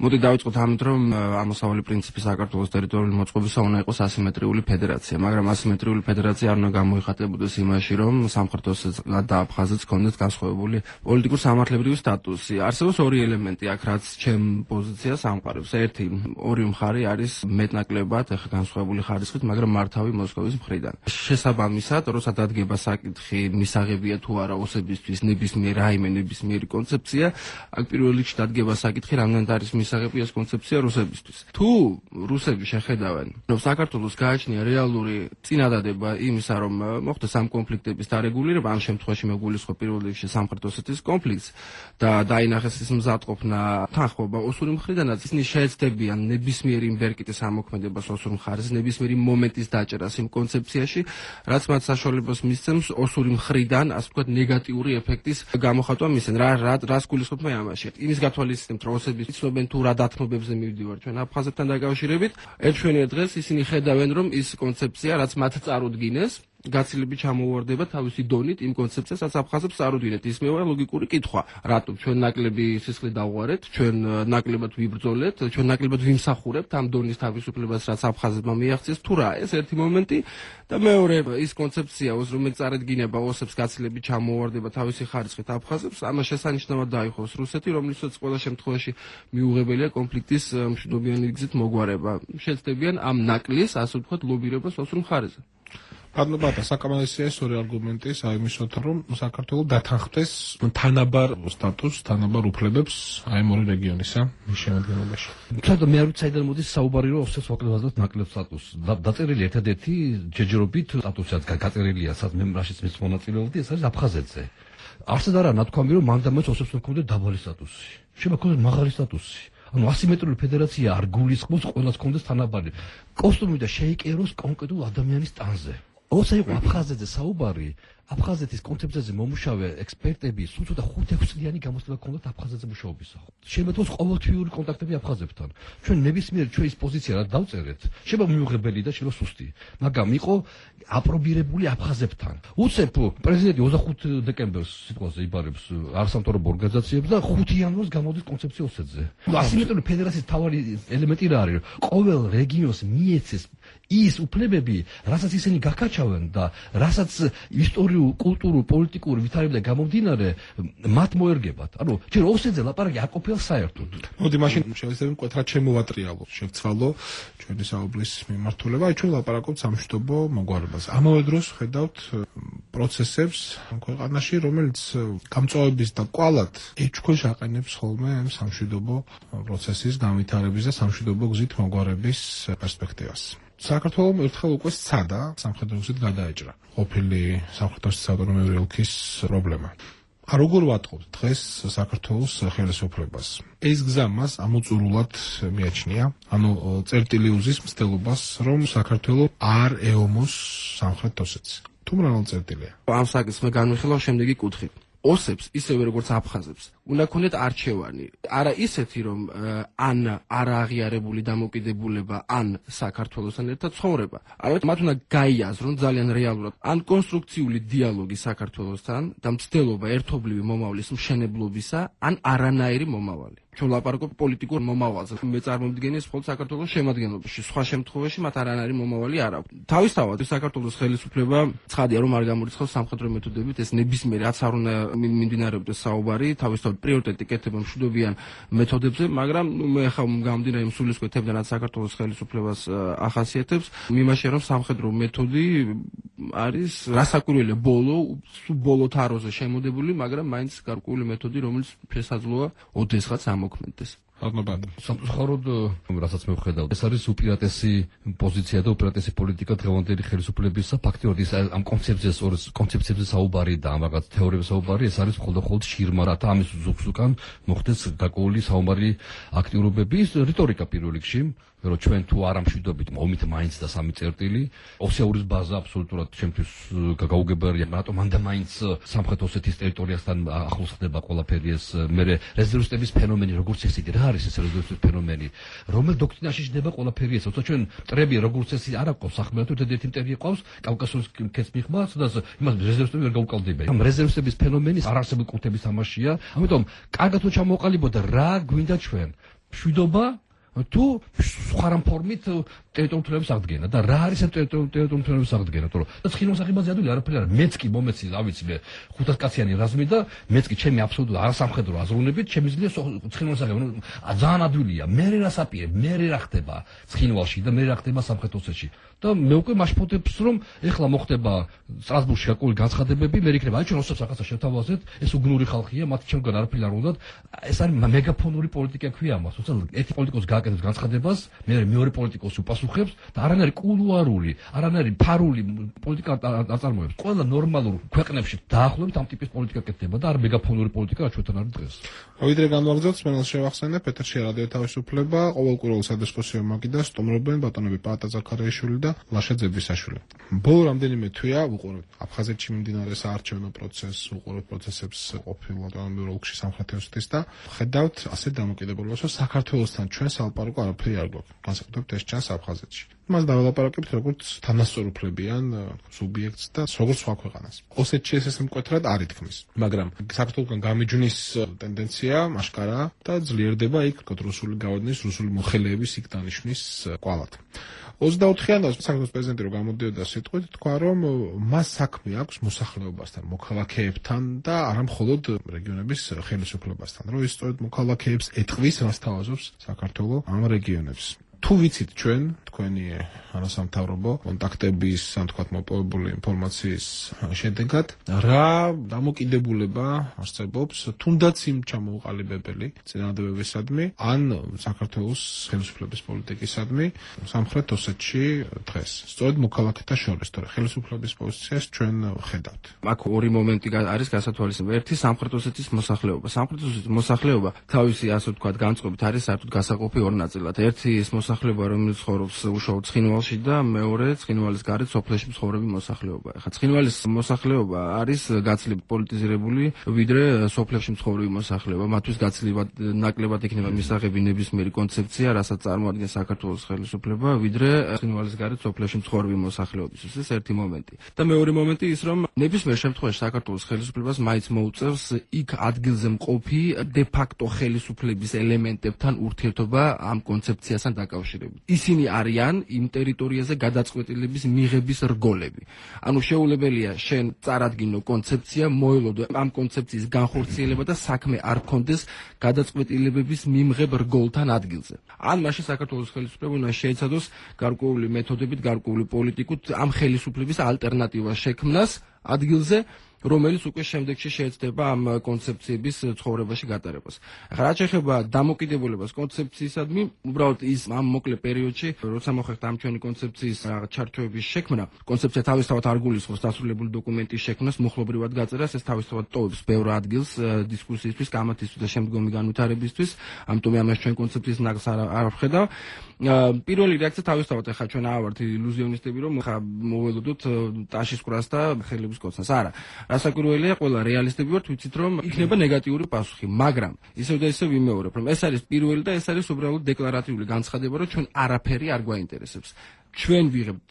მოდით დავიწყოთ ამით, რომ ამოსავალი პრინციპი საქართველოს ტერიტორიული მოწყობისა უნდა იყოს ასიმეტრიული ფედერაცია, მაგრამ ასიმეტრიული ფედერაცია არ უნდა გამოიხატებოდეს იმაში, რომ სამხრეთ ოსეთს და აფხაზეთს ჰქონდეთ განსხვავებული პოლიტიკურ-სამართლებრივი სტატუსი. არსებობს ორი ელემენტი აქ, რაც ჩემ პოზიციას ამყარებს. ერთი, ორი მხარე არის მეტნაკლებად განსხვავებული ხარისხით, მაგრამ მართავი მოსკოვის მხრიდან. შესაბამისად, როცა დადგება საკითხი, მისაღებია თუ არა ოსებისთვის ნებისმიერი კონცეფცია, აქ პირველ რიგში დადგება საკითხი, რამდენად არის მისაღები ეს კონცეფცია რუსებისთვის. თუ რუსები შეხედავენ, რომ საქართველოს გააჩნია რეალური წინადადება იმისა, რომ მოხდეს ამ კონფლიქტების დარეგულირება, ამ შემთხვევაში მეგულისხმობ პირველ რიგში სამხრეთ ოსეთის კონფლიქტს და დაინახეს ის მზადყოფნა თანხმობა ოსური მხრიდანაც, ისინი შეეცდებიან ნებისმიერი იმბერკიტის ამოქმედებას ოსურ მხარეს, ნებისმიერი მომენტის დაჭერას იმ კონცეფციაში, რაც მათ საშუალებას მისცემს ოსური მხრიდან, ასე ვთქვათ, ნეგატიური ეფექტის გამოხატვა მისცენ. რას გულისხმობ მე ამაში? იმის გათვალისწინებთ, რომ ოსები იცნობენ თუ რა დათმობებზე მივდივარ ჩვენ აფხაზეთთან დაკავშირებით. ერთშვენია დღეს ისინი ხედავენ, რომ ის კონცეფცია, რაც მათ წარუდგინეს, გაცილებით ჩამოუვარდება თავისი დონით იმ კონცეფციას, რაც აფხაზებს წარუდგინეთ. ის მეუღია ლოგიკური კითხვა. რატომ ჩვენ ნაკლები სისხლი დავღვარეთ, ჩვენ ნაკლებად ვიბრძოლეთ, ჩვენ ნაკლებად ვიმსახურებთ ამ დონის თავისუფლებას, რაც აფხაზებმა მიაღწიეს, თუ რა? ეს ერთი მომენტი და მეორე ის კონცეფცია, რომელიც წარედგინება ოსებს გაცილებით ჩამოუვარდება თავისი ხარისხით აფხაზებს, ამას შესანიშნავად დაიხოს რუსეთი, რომლითაც ყველა შემთხვევაში მიუღებელია კონფლიქტის მშვიდობიანი გზით მოგვარება. შეცდებიან ამ ნაკლის, ასე ვთქვათ, ლობირებას ოსურ მხარეზე. პატა საკამალისია ეს ორი არგუმენტი საიმისოთ, რომ საქართველოს დათანხმდეს თანაბარ სტატუსს, თანაბარ უფლებებს აი ორი რეგიონისა შემადგენლობაში. თუმცა მე არ ვიცი საიდან მოდის საუბარი, რომ ოსეთს ვაკლებაზავთ ნაკლებ სტატუსს. დაწერილი ერთადერთი ჯერჯერობით სტატუსიც გაწერილია, სადაც მე რაშიც მის მონაწილეობდი, ეს არის აფხაზეთზე. არსად არა ნათქვამი, რომ მან და მას ოსებს ჰქონდეთ დაბალი სტატუსი. შემოქონდეს მაღალი სტატუსი. ანუ ასიმეტრიული ფედერაცია არ გულისხმობს ყველას ჰქონდეს თანაბარი კოსტუმი და შეიკეროს კონკრეტულ ადამიანის ტანზე. ოსა იყო აფხაზეთზე საუბარი, აფხაზეთის კონცეფციაზე მომუშავე ექსპერტები სულ ცოტა 5-6 წლიანი გამოცდილება ჰქონდათ აფხაზეთზე მუშაობისა. შემოთხოვს ყოველთვიური კონტაქტები აფხაზებთან. ჩვენ ნებისმიერ ჩვენის პოზიცია რა დავწერეთ, შეიძლება მიუღებელი და შეიძლება სუსტი, მაგრამ იყო აპრობირებული აფხაზებთან. უცებ პრეზიდენტი 25 დეკემბერს სიტყვაზე იბარებს არასამთავრობო ორგანიზაციებს და 5 იანვარს გამოდის კონცეფცია ოსეთზე. ასიმეტრიული ფედერაციის თავარი ელემენტი რა არის? ყოველ რეგიონს მიეცეს ის უფლებები, რასაც ისინი გაკაჩავენ და რასაც ისტორიულ, კულტურულ, პოლიტიკურ ვითარებიდან გამომდინარე მათ მოერგებათ. ანუ ჯერ ოსეთზე ლაპარაკი არ ყოფილა საერთოდ. მოდი მაშინ შევეცდები მკვეთრად შემოვატრიალო, შევცვალო ჩვენი საუბრის მიმართულება. აი ჩვენ ლაპარაკობთ სამშვიდობო მოგვარებაზე. ამავე დროს ხედავთ პროცესებს ქვეყანაში, რომელიც გამწვავების და კვალად ეჭქვეშ აყენებს ხოლმე სამშვიდობო პროცესის განვითარების და სამშვიდობო გზით მოგვარების პერსპექტივას. საქართველოს ერთხელ უკვე სცადა სამხრეთ ოსეთ გადაეჭრა ყოფილი სამხრეთ ოსეთის ავტონომიური ოლქის პრობლემა. როგორ ვატყობთ დღეს საქართველოს ხელისუფლებას? ეს გზა მას ამოწურულად მიაჩნია, ანუ წერტილი უზის მცდელობას, რომ საქართველოს არ ეომოს სამხრეთ ოსეთს. თუ მრავალ წერტილია. ამ საკითხს მე განვიხილავ შემდეგი კუთხით. ოსებს, ისევე როგორც აფხაზებს, უნდა ქონდეთ არჩევანი. არა ისეთი, რომ ან არა აღიარებული დამოკიდებულება, ან საქართველოსთან ერთად ცხოვრება. არამედ მათ უნდა გაიაზრონ ძალიან რეალურად ან კონსტრუქციული დიალოგი საქართველოსთან და მცდელობა ერთობლივი მომავლის მშენებლობისა, ან არანაირი მომავალი. ჩვენ ლაპარაკობთ პოლიტიკურ მომავალზე. მე წარმომდგენია მხოლოდ საქართველოს შემადგენლობაში. სხვა შემთხვევაში მათ არანაირი მომავალი არ აქვს. თავისთავად საქართველოს ხელისუფლება ცხადია რომ არ გამორიცხავს სამხედრო მეთოდებით ეს ნებისმიერ რაც არ უნდა მიმდინარეობდეს საუბარი, თავისთავად პრიორიტეტი კეთება მშვიდობიან მეთოდებზე, მაგრამ მე ხა გამომდინარე იმ სულისკვეთებიდან რაც საქართველოს ხელისუფლებას ახასიათებს, მიმაშია რომ სამხედრო მეთოდი არის რასაკვირველია ბოლო თაროზე შემოდებული, მაგრამ მაინც გარკვეული მეთოდი, რომელიც შესაძლოა ოდესღაც ამოქმედდეს. სამწუხაროდ, რასაც მე ვხედავ, ეს არის უპირატესი პოზიცია და უპირატესი პოლიტიკა დღევანდელი ხელისუფლებისა. ფაქტიურად ის ამ კონცეფციებზე საუბარი და ამ რაღაც თეორიებზე საუბარი, ეს არის მხოლოდ შირმა, რათა ამის ზოგს უკან მოხდეს გარკვეული საუბარი აქტიურობები, რიტორიკა პირველ რიგში. რომ ჩვენ თუ არ ამშვიდობით მომით მაინც და სამი წერტილი, ოსეურის ბაზა აბსოლუტურად ჩემთვის გაუგებარია, რატომ მანდა მაინც სამხრეთ ოსეთის ტერიტორიასთან ახლოს ხდება ყველაფერი ეს. მე რეზერვისტების ფენომენი როგორც ესეთი, რა არის ეს რეზერვისტების ფენომენი? რომელ დოქტრინაში ჯდება ყველაფერი ეს? თორსა ჩვენ მტრები როგორც ესე არ აყავს სახმელეთო ერთ-ერთი მტერი ყავს კავკასიის ქეც მიღმა, სადაც იმას რეზერვისტები ვერ გაუკალდება. ამ რეზერვისტების ფენომენი არარსებულ კულტების თამაშია. ამიტომ კარგად თუ ჩამოყალიბოთ რა გვინდა ჩვენ? მშვიდობა თუ სხვა რამ ფორმით ტერიტორიების აღდგენა და რა არის ამ ტერიტორიების აღდგენა, თორე და ცხინვალსახებაზე ადვილი არაფერი არ. მეც კი მომეცი, რა ვიცი მე 500 კაციანი რაზმი და მეც კი ჩემი აბსოლუტურად არასამხედრო აზროვნებით შემიძლია ცხინვალსახები ძალიან ადვილია. მე რა საპირე, მე რა ხდება ცხინვალში და მე რა ხდება სამხრეთ ოსეთში. და მე უკვე მაშფოთებს რომ ეხლა მოხდება სტრასბურგში გარკვეული განცხადებები, მე იქნება აი ჩვენ ოსებს რაღაცა შევთავაზეთ, ეს უგნური ხალხია, მათ ჩემგან არაფერი არ უნდათ. ეს არის მეგაფონური პოლიტიკა ქვია ამას. თუმცა ერთი პოლიტიკოსი გააკეთებს განცხადებას, მეორე პოლიტიკოსი უპასუხებს და არანაირი კულუარული, არანაირი ფარული პოლიტიკა აწარმოებს. ყველა ნორმალურ ქვეყნებში დაახლოებით ამ ტიპის პოლიტიკა კეთდება და არ მეგაფონური პოლიტიკა რაც ჩვენთან არის დღეს. ვიდრე განვაგრძელოთ, მენელს შევახსენე პეტერ შერადიო თავისუფლება, ყოველკვირეულ სადისკუსიო მაგიდას სტუმრობენ ბატონები პაატა ზაქარიაშვილი და ლაშა ძებისაშვილი. ბოლო რამდენიმე თვეა ვუყურებთ აფხაზეთში მიმდინარე საარჩევნო პროცესს, ვუყურებთ პროცესებს ყოფილ ავტონომიურ ოლქში სამხრეთ ოსეთის და ხედავთ ასეთ დამოკიდებულებას, რომ საქართველოსთან ჩვენ სალაპარაკო არაფერი არ გვაქვს. განსაკუთრებით ეს ჩანს აფხაზეთში. მას დაველაპარაკებთ როგორც თანასწორუფლებიან სუბიექტს და როგორც სხვა ქვეყანას. ოსეთში ეს მკვეთრად არ ითქმის, მაგრამ საქართველოსგან გამიჯვნის ტენდენცია აშკარაა და ძლიერდება იქ რუსული გავადნის, რუსული მოხელეების იქ დანიშვნის კვალად. 24-იანდას საქართველოს პრეზიდენტი რომ გამოდიოდა სიტყვით, თქვა რომ მას საქმე აქვს მოსახლეობასთან, მოქალაქეებთან და არა მხოლოდ რეგიონების ხელისუფლებასთან, რომ ის სწორედ მოქალაქეებს ეტყვის, რას თავაზობს საქართველოს ამ რეგიონებს. თუ ვიცით ჩვენ თქვენი არასამთავრობო კონტაქტების, ან თქვათ მოპოვებული ინფორმაციის შედეგად, რა დამოკიდებულება არსებობს თუნდაც იმ ჩამოუყალიბებელი წინადადებებისადმი, ან საქართველოს ხელისუფლების პოლიტიკისადმი სამხრეთ ოსეთში დღეს. სწორედ მოქალაქეთა შორის, თორე ხელისუფლების პოზიციას ჩვენ ხედავთ. აქ ორი მომენტი არის გასათვალისწინებელი. ერთი სამხრეთ ოსეთის მოსახლეობა. სამხრეთ ოსეთის მოსახლეობა თავისი ასე ვთქვათ განწყობით არის საერთოდ გასაყოფი ორ ნაწილად. ერთი ის მოსახლეობა, რომელიც ცხოვრობს უშუალოდ ცხინვალში და მეორე ცხინვალის გარეთ სოფლებში მცხოვრები მოსახლეობა. ახლა ცხინვალის მოსახლეობა არის გაცილებით პოლიტიზირებული, ვიდრე სოფლებში მცხოვრები მოსახლეობა. მათთვის გაცილებით ნაკლებად იქნება მისაღები ნებისმიერი კონცეფცია, რასაც წარმოადგენს საქართველოს ხელისუფლება, ვიდრე ცხინვალის გარეთ სოფლებში მცხოვრები მოსახლეობისთვის. ეს ერთი მომენტი. და მეორე მომენტი ის, რომ ნებისმიერ შემთხვევაში საქართველოს ხელისუფლებას მაინც მოუწევს იქ ადგილზე მყოფი დე ფაქტო ხელისუფლების ელემენტებთან ურთიერთობა ამ კონცეფციასთან დაკავშირებით. ისინი არიან იმ ტერიტორიაზე გადაწყვეტილების მიღების რგოლები. ანუ შეუძლებელია შენ წარადგინო კონცეფცია, მოელოდო ამ კონცეფციის განხორციელება და საქმე არ გქონდეს გადაწყვეტილებების მიმღებ რგოლთან ადგილზე. ან მაშინ საქართველოს ხელისუფლება უნდა შეეცადოს გარკვეული მეთოდებით, გარკვეული პოლიტიკით ამ ხელისუფლების ალტერნატივას შექმნას ადგილზე, რომელიც უკვე შემდეგში შეეცდება ამ კონცეფციების ცხოვრებაში გატარებას. ახლა რაც შეეხება დამოკიდებულებას კონცეფციისადმი, უბრალოდ ის ამ მოკლე პერიოდში, როცა მოხერხდა ამ ჩვენი კონცეფციის ჩარჩოების შექმნა, კონცეფცია თავისთავად არ გულისხმობს დასრულებული დოკუმენტის შექმნას, მოხლობრივად გაწერას, ეს თავისთავად ტოვებს ბევრ ადგილს დისკუსიისთვის, კამათისთვის და შემდგომი განვითარებისთვის, ამიტომ ამას ჩვენ კონცეფციის ნაკს არ ვხედავ. პირველი რეაქცია თავისთავად ახლა ჩვენ ავართ ილუზიონისტები, რომ ხა მოველოდოთ ტაშის ყრას და ხელი განხილვის კოცნას. არა, რასაკვირველია, ყველა რეალისტები ვართ, ვიცით რომ იქნება ნეგატიური პასუხი, მაგრამ ისევ და ისევ ვიმეორებ, რომ ეს არის პირველი და ეს არის უბრალოდ დეკლარატიული განცხადება, რომ ჩვენ არაფერი არ გვაინტერესებს. ჩვენ ვიღებთ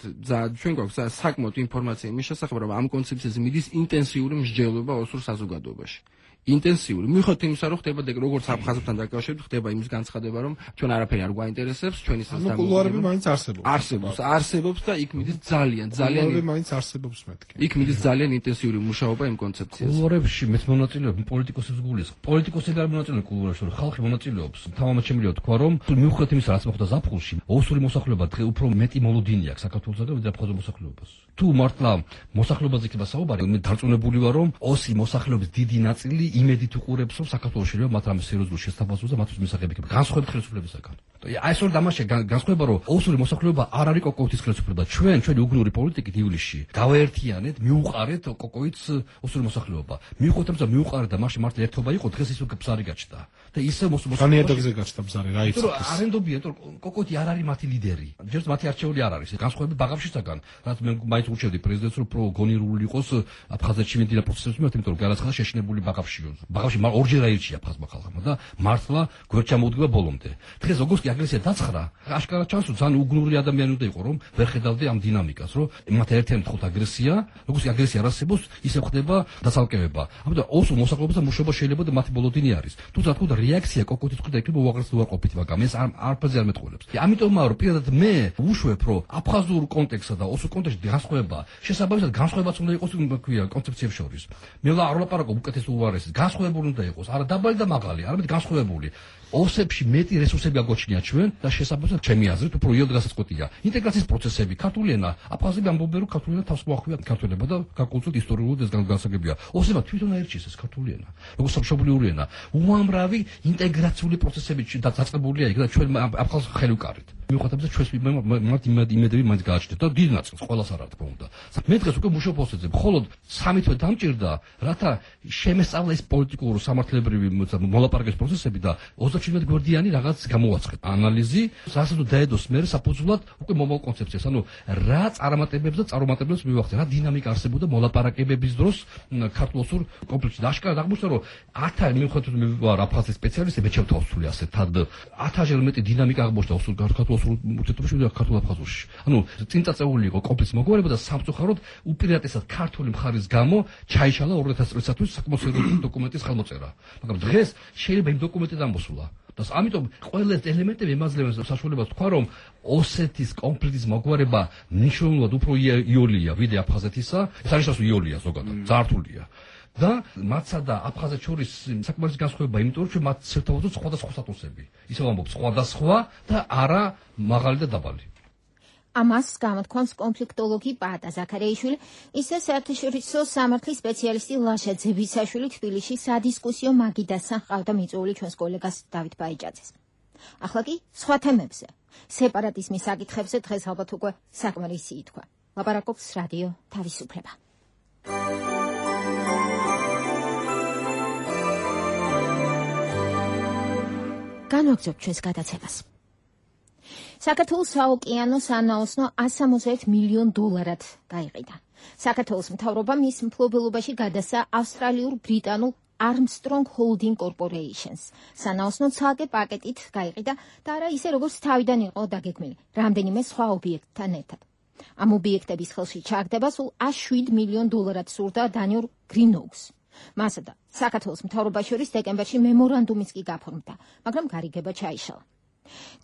ჩვენ გვაქვს საკმაოდ ინფორმაცია იმის შესახებ, რომ ამ კონცეფციაზე მიდის ინტენსიური მსჯელობა ოსურ საზოგადოებაში. ინტენსიური. მიუხედავად იმისა, რომ ხდება როგორც აფხაზებთან დაკავშირებით, ხდება იმის განცხადება, რომ ჩვენ არაფერი არ გვაინტერესებს, ჩვენი სასამართლო კულუარები მაინც არსებობს. არსებობს და იქ მიდის ძალიან კულუარები მაინც არსებობს მეთქი. იქ მიდის ძალიან ინტენსიური მუშაობა იმ კონცეფციაზე. კულუარებში მეც მონაწილეობ პოლიტიკოსებს გულის. პოლიტიკოსები არ მონაწილეობენ კულუარებში, რომ ხალხი მონაწილეობს. თავამაც შემიძლია თქვა, რომ მიუხედავად იმისა, რაც მოხდა ზაფხულში, ოსური მოსახლეობა დღე უფრო მეტი მოლოდინი აქვს საქართველოსაგან, ვიდრე აფხაზურ მოსახლეობას. თუ მართლა მოსახლეობაზე იქნება საუბარი, მე დარწმუნებული ვარ, რომ ოსი მოსახლეობის დიდი ნაწილი იმედით უყურებს, რომ საქართველოს შეიძლება მათ რამე სერიოზულ შესაძლებლობას და მათთვის მისაღები იქნება განსხვავებით ხელისუფლებისაგან. აი ეს ორი დამაშე განსხვავება, რომ ოსური მოსახლეობა არ არის კოკოვითის ხელისუფლება. ჩვენი უგნური პოლიტიკით ივლისში გავაერთიანეთ, მიუყარეთ კოკოვითს ოსური მოსახლეობა. მიუხედავად რომ მიუყარეთ და მაშინ მართლა ერთობა იყო, დღეს ის ბზარი გაჩნდა. და ისე მოსახლეობაზე გაჩნდა ბზარი, რა იცი. არენდობია, რომ კოკოვითი არ არის მათი ლიდერი. ჯერს მათი არჩეული არ არის. განსხვავებით ბაღავშისაგან, რაც მე მაინც ურჩევდი პრეზიდენტს, რომ გონირული იყოს აფხაზეთში მიმდინარე პროცესების მიმართ, იმიტომ რომ გარაცხადა შეშინებული ბაღავში. ბაღავში ორჯერ აირჩია აფხაზმა ხალხმა და მართლა გვერდ ჩამოუდგება ბოლომდე. დღეს როგორც კი აგრესია დაცხრა, აშკარად ჩანს, რომ ძალიან უგნური ადამიანი უნდა იყო, რომ ვერ ხედავდე ამ დინამიკას, რომ მათ ერთიან თხოვთ აგრესია, როგორც კი აგრესია არ არსებობს, ისე ხდება დაცალკევება. ამიტომ ოსურ მოსახლეობასთან მუშაობა შეიძლება და მათი ბოლოდინი არის. თუმცა თქო და რეაქცია კოკოთის მხრიდან იქნება უაღრესად უარყოფითი, მაგრამ ეს არაფერზე არ მეტყველებს. ამიტომაა რომ პირადად მე უშვებ, რომ აფხაზურ კონტექსტსა და ოსურ კონტექსტში განსხვავება, შესაბამისად განსხვავებაც უნდა იყოს ქვია კონცეფციებს შორის. მე არ ვლაპარაკობ უკეთეს უარესის, განსხვავებული უნდა იყოს, არა დაბალი და მაღალი, არამედ განსხვავებული. ოსებში მეტი რესურსები აგოჩნია ჩვენ და შესაბამისად ჩემი აზრით უფრო იოდ გასაწყვეტია. ინტეგრაციის პროცესები, ქართული ენა, აფხაზები ამბობენ, რომ ქართული ენა თავს მოახვია ქართველებმა და გარკვეულწილად ისტორიულად ეს განსაგებია. ოსებმა თვითონ აირჩიეს ეს ქართული ენა, როგორც სამშობლიური ენა. უამრავი ინტეგრაციული პროცესები დაწყებულია იქ და ჩვენ აფხაზს ხელი ვკარით. მიუხედავად ჩვენს მათ იმედები მაინც გააჩნდათ და დიდ ნაწილს ყველას არ თქმა უნდა. მე დღეს უკვე მუშაობ ოსებზე, მხოლოდ 3 თვე დამჭირდა, რათა შემესწავლა ეს პოლიტიკური სამართლებრივი მოლაპარაკების პროცესები და 27 გვერდიანი რაღაც გამოვაცხეთ. ანალიზი, რასაც დაედოს მე საფუძვლად უკვე მომავალ კონცეფციას. ანუ რა წარმატებებს და წარუმატებლებს მივახცე, რა დინამიკა არსებობდა მოლაპარაკებების დროს ქართულ-ოსურ კონფლიქტში. აღშკარად აღმოჩნდა, რომ 1000 მიუხედავად მე ვარ აფხაზის სპეციალისტი, მე ჩავთავსული ასე თად 1000-ჯერ მეტი დინამიკა აღმოჩნდა ოსურ ქართულ-ოსურ ურთიერთობაში და ქართულ-აფხაზურში. ანუ წინ წაწეული იყო კონფლიქტის მოგვარება და სამწუხაროდ უპირატესად ქართული მხარის გამო ჩაიშალა 2000 წლისათვის საკმაოდ სერიოზული დოკუმენტის ხელმოწერა. მაგრამ დღეს შეიძლება იმ დოკუმენტით ამოსულა. და ამიტომ ყველა ეს ელემენტები ემაძლევენ საშუალებას თქვა, რომ ოსეთის კონფლიქტის მოგვარება მნიშვნელოვნად უფრო იოლია ვიდრე აფხაზეთისა. ეს არის ასე იოლია ზოგადად, ძართულია. და მათსა და აფხაზეთს შორის საკმაოდ განსხვავება, იმიტომ რომ მათ საერთოდ სხვადასხვა სტატუსები. ისევ ამბობ სხვადასხვა და არა მაღალი და დაბალი. ამას გამოთქვამს კონფლიქტოლოგი პაატა ზაქარიაშვილი, ისე საერთაშორისო სამართლის სპეციალისტი ლაშა ძებისაშვილი თბილისში სადისკუსიო მაგიდასთან ყავდა მიწვეული ჩვენს კოლეგას დავით ბაიჭაძეს. ახლა კი სხვა თემებზე. სეპარატიზმის საკითხებზე დღეს ალბათ უკვე საკმარისი ითქვა. ლაპარაკობს რადიო თავისუფლება. განვაგრძობთ ჩვენს გადაცემას. საქართველოს საოკეანო სანაოსნო 161 მილიონ დოლარად გაიყიდა. საქართველოს მთავრობა მის მფლობელობაში გადასცა ავსტრალიურ-ბრიტანულ Armstrong Holding Corporations. სანაოსნო ცალკე პაკეტით გაიყიდა და არა ისე როგორც თავიდან იყო დაგეგმილი, რამდენიმე სხვა ობიექტთან ერთად. ამ ობიექტების ხელში ჩაგდება სულ 107 მილიონ დოლარად სურდა დანიურ Green Oaks. მასა და საქართველოს მთავრობას შორის დეკემბერში მემორანდუმიც კი გაფორმდა, მაგრამ გარიგება ჩაიშალა.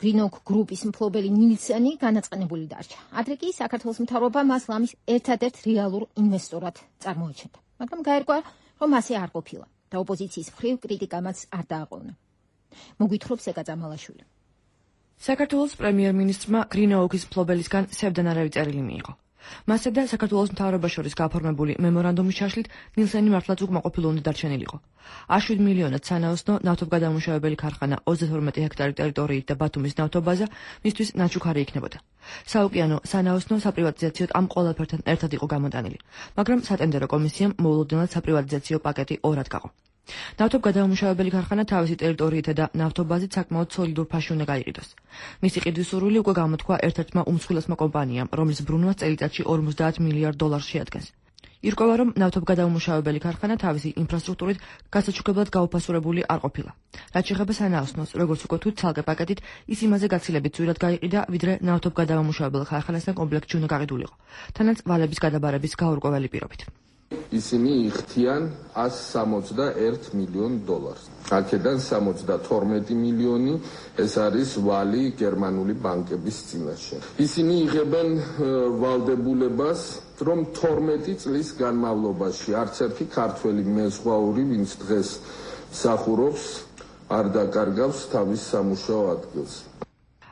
Green Oak გრუპის მფლობელი ნილსენი განაწყენებული დარჩა. ადრე კი საქართველოს მთავრობა მას ლამის ერთადერთ რეალურ ინვესტორად წარმოაჩენდა. მაგრამ გაერკვა, რომ ასე არ ყოფილა და ოპოზიციის მხრივ კრიტიკამაც არ დააყოვნა. მოგვითხრობს ეკა წამალაშვილი. საქართველოს პრემიერ-მინისტრმა Green Oak-ის მფლობელისგან სევდანარავი წერილი მიიღო. მასზე და საქართველოს მთავრობას შორის გაფორმებული მემორანდუმის ჩაშლით ნილსენი მართლაც უკმაყოფილო უნდა დარჩენილიყო. 107 მილიონად სანაოსნო ნავთობგადამუშავებელი ქარხანა 32 ჰექტარი ტერიტორიით და ბათუმის ნავთობაზა მისთვის ნაჩუქარი იქნებოდა. საოკეანო სანაოსნო საპრივატიზაციოდ ამ ყველაფერთან ერთად იყო გამოტანილი, მაგრამ სატენდერო კომისიამ მოულოდნელად საპრივატიზაციო პაკეტი ორად გაყო. ნავთობგადამუშავებელი ქარხანა თავისი ტერიტორიითა და ნავთობაზით საკმაოდ სოლიდურ ფასში უნდა გაიყიდოს. მისი ყიდვის სურვილი უკვე გამოთქვა ერთ-ერთმა უმსხვილესმა კომპანიამ, რომლის ბრუნვას წელიწადში 50 მილიარდ დოლარს შეადგენს. ირკვევა, რომ ნავთობგადამამუშავებელი ქარხანა თავისი ინფრასტრუქტურით გასაჩუქებლად გაუფასურებული არ ყოფილა. რაც შეეხება სანაოსნოს, როგორც უკვე თუ ცალკე პაკეტით, ის იმაზე გაცილებით ძვირად გაიყიდა, ვიდრე ნავთობგადამამუშავებელ ქარხანასთან კომპლექტში უნდა გაყიდულიყო, თანაც ვალების გადაბარების გაურკვეველი პირობით. ისინი იხდიან 161 მილიონ დოლარს. აქედან 72 მილიონი ეს არის ვალი გერმანული ბანკების წინაშე. ისინი იღებენ ვალდებულებას, რომ 12 წლის განმავლობაში არც ერთი ქართველი მეზღვაური, ვინც დღეს მსახურობს, არ დაკარგავს თავის სამუშაო ადგილს.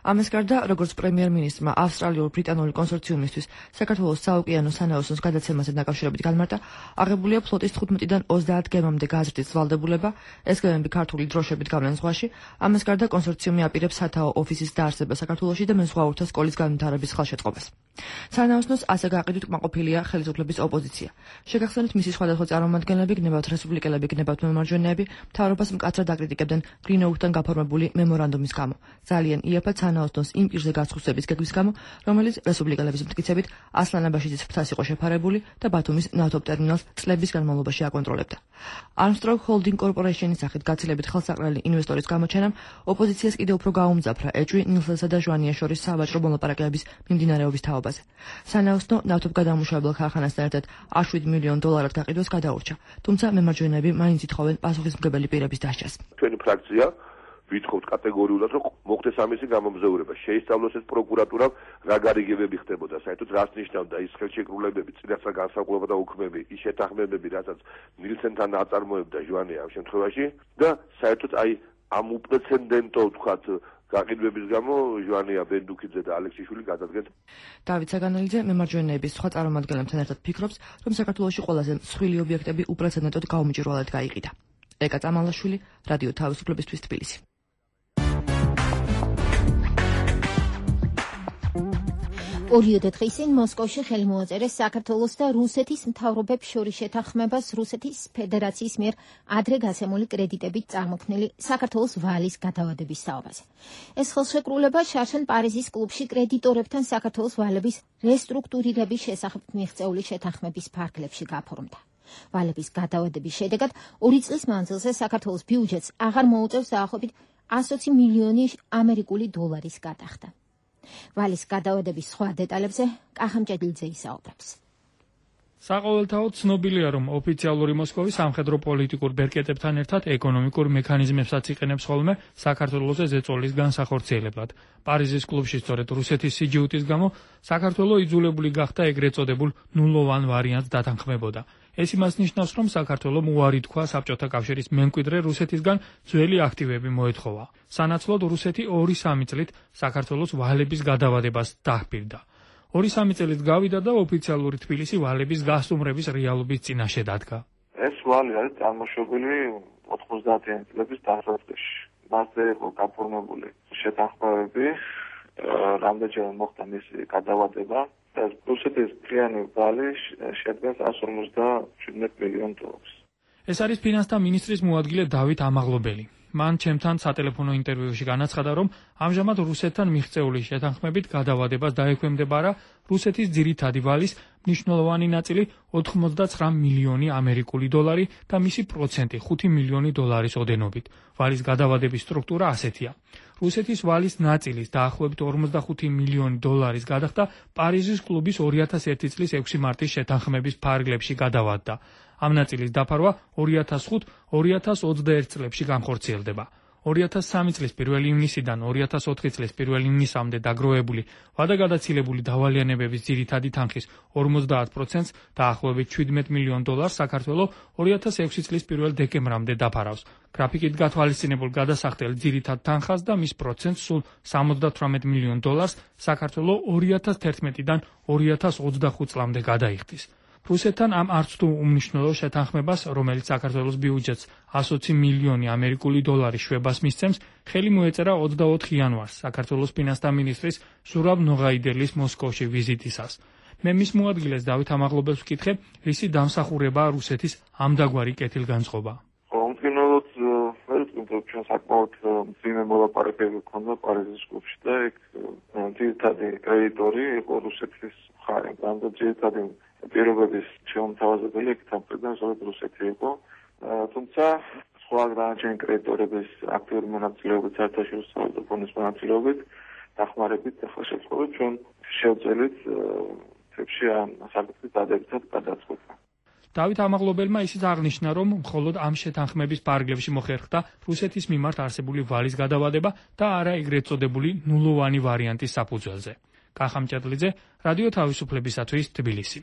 ამას გარდა, როგორც პრემიერ-მინისტრმა ავსტრალიურ-ბრიტანული კონსორციუმისთვის საქართველოს საოკეანო სანაოსნოს გადაცემაზე დაკავშირებით განმარტა, აღებულია ფლოტის 15-დან 30 გემამდე გაზრდის ვალდებულება, ეს გემები ქართული დროშებით გავლენ ზღვაში. ამას გარდა, კონსორციუმი აპირებს სათაო ოფისის დაარსებას საქართველოში და მეზღვაურთა სკოლის განვითარების ხელშეწყობას. სანაოსნოს ასე გაყიდვით კმაყოფილია ხელისუფლების ოპოზიცია. შეგახსენეთ, მისი სხვადასხვა წარმომადგენლები, გნებავთ რესპუბლიკელები, გნებავთ მემარჯვენეები, მთავრობას მკაცრად აკრიტიკებდნენ გრინოუხთან გაფორმებული მემორანდუმის გამო. ძალიან იაფად სანაოსნოს იმ პირზე გასხუსების გეგმის გამო, რომელიც რესპუბლიკელების მტკიცებით ასლანაბაშიძის ფრთას იყო შეფარებული და ბათუმის ნავთობტერმინალს წლების განმავლობაში აკონტროლებდა. Armstrong Holding Corporation-ის სახით გაცილებით ხელსაყრელი ინვესტორის გამოჩენამ ოპოზიციას კიდევ უფრო გაუმძაფრა ეჭვი ნილსენსა და ჟვანიას შორის სავაჭრო მოლაპარაკებების მიმდინარეობის თაობაზე. სანაოსნო ნავთობგადამამუშავებელ ქარხანასთან ერთად 7 მილიონ დოლარად გაყიდვას გადაურჩა, თუმცა მემარჯვენეები მაინც ითხოვენ პასუხისმგებელი პირების დასჯას. ჩვენი ფრაქცია ვითხოვთ კატეგორიულად, რომ მოხდეს ამისი გამომზაურება. შეისწავლოს ეს პროკურატურამ რა გარიგებები ხდებოდა, საერთოდ რას ნიშნავდა ის ხელშეკრულებები, წინასწარ განსაკუთრება და უქმები, ის შეთანხმებები, რასაც ნილსენთან აწარმოებდა ჟვანე ამ შემთხვევაში და საერთოდ ამ უპრეცედენტო ვთქვათ გაყიდვების გამო ჟვანია ბენდუქიძე და ალექსიშვილი გადადგეს. დავით საგანელიძე მემარჯვენეების სხვა წარმომადგენლებთან ერთად ფიქრობს, რომ საქართველოში ყველაზე მსხვილი ობიექტები უპრეცედენტოდ გაუმჭირვალედ გაიყიდა. ეკა წამალაშვილი, რადიო თავისუფლებისთვის თბილისი. ორიოდე დღის წინ მოსკოვში ხელი მოაწერეს საქართველოს და რუსეთის მთავრობებს შორის შეთანხმებას რუსეთის ფედერაციის მიერ ადრე გაცემული კრედიტებით წარმოქმნილი საქართველოს ვალის გადავადების თაობაზე. ეს ხელშეკრულება შარშან პარიზის კლუბში კრედიტორებთან საქართველოს ვალების რესტრუქტურირების შესახებ მიღწეული შეთანხმების ფარგლებში გაფორმდა. ვალების გადავადების შედეგად 2 წლის მანძილზე საქართველოს ბიუჯეტს აღარ მოუწევს დაახლოებით 120 მილიონი ამერიკული დოლარის გადახდა. ვალის გადავადების სხვა დეტალებზე კახამჭედლიძე ისაუბრებს. საყოველთაოდ ცნობილია, რომ ოფიციალური მოსკოვი სამხედრო პოლიტიკურ ბერკეტებთან ერთად ეკონომიკურ მექანიზმებსაც იყენებს ხოლმე საქართველოს ზეწოლის განსახორციელებლად. პარიზის კლუბში სწორედ რუსეთის სიჯიუტის გამო საქართველო იძულებული გახდა ეგრეთ წოდებულ ნულოვან ვარიანტს დათანხმებოდა. ეს იმას ნიშნავს, რომ საქართველომ უარი თქვა საბჭოთა კავშირის მემკვიდრე რუსეთისგან ძველი აქტივები მოეთხოვა. სანაცვლოდ რუსეთი 2-3 წლით საქართველოს ვალების გადავადებას დაჰპირდა. 2-3 წელით გავიდა და ოფიციალური თბილისი ვალების გასტუმრების რეალობის წინაშე დადგა. ეს ვალი არის წარმოშობილი 90-იანი წლების დასაწყისში. მასზე იყო გაფორმებული შეთანხმებები, რამდენჯერ მოხდა მისი გადავადება. რუსეთის მთლიანი ვალი შეადგენს 157 მილიონ დოლარს. ეს არის ფინანსთა მინისტრის მოადგილე დავით ამაღლობელი. მან ჩემთან სატელეფონო ინტერვიუში განაცხადა, რომ ამჟამად რუსეთთან მიღწეული შეთანხმებით გადავადებას დაექვემდებარა რუსეთის ძირითადი ვალის მნიშვნელოვანი ნაწილი 89 მილიონი ამერიკული დოლარი და მისი პროცენტი 5 მილიონი დოლარის ოდენობით. ვალის გადავადების სტრუქტურა ასეთია. რუსეთის ვალის ნაწილის დაახლოებით 45 მილიონი დოლარის გადახდა პარიზის კლუბის 2001 წლის 6 მარტის შეთანხმების ფარგლებში გადავადდა. ამ ნაწილის დაფარვა 2000-2021 წლებში განხორციელდება. 2003 წლის 1 ივნისიდან 2004 წლის 1 ივნისამდე დაგროვებული ვადაგადაცილებული დავალიანებების ძირითადი თანხის 50%-ს დაახლოებით 17 მილიონ დოლარს საქართველო 2006 წლის 1 დეკემბრამდე დაფარავს. გრაფიკით გათვალისწინებულ გადასახდელ ძირითად თანხას და მის პროცენტს სულ 78 მილიონ დოლარს საქართველო 2011-დან 2025 წლამდე გადაიხდის. რუსეთთან ამ არც თუ უმნიშვნელო შეთანხმებას, რომელიც საქართველოს ბიუჯეტს 120 მილიონი ამერიკული დოლარი შვებას მისცემს, ხელი მოეწერა 24 იანვარს საქართველოს ფინანსთა მინისტრის ზურაბ ნოღაიდელის მოსკოვში ვიზიტისას. მე მის მოადგილეს დავით ამაღლობელს ვკითხე, რისი დამსახურებაა რუსეთის ამდაგვარი კეთილგანწყობა. უმკინოდ ჩვენ საკმაოდ მძიმე მოლაპარაკებები ჰქონდა პარიზის კლუბში და იქ ძირითადი კრედიტორი იყო რუსეთის მხარე, და ძირითადი პირობების შემოთავაზებელი იქ თამბერგენ ზოგადად რუსეთი იყო. თუმცა სხვა განაჩენი კრედიტორების აქტიური მონაწილეობით საერთაშორისო სავალუტო ფონდის მონაწილეობით დახმარებით ახლა შეწყობით ჩვენ შევწელით თებში ამ საკითხის დადებითად გადაწყვეტა. დავით ამაღლობელმა ისიც აღნიშნა, რომ მხოლოდ ამ შეთანხმების პარაგრაფში მოხერხდა რუსეთის მიმართ არსებული ვალის გადავადება და არა ეგრეთ წოდებული ნულოვანი ვარიანტის საფუძველზე. კახამ ჭედლიძე, რადიო თავისუფლებისათვის, თბილისი.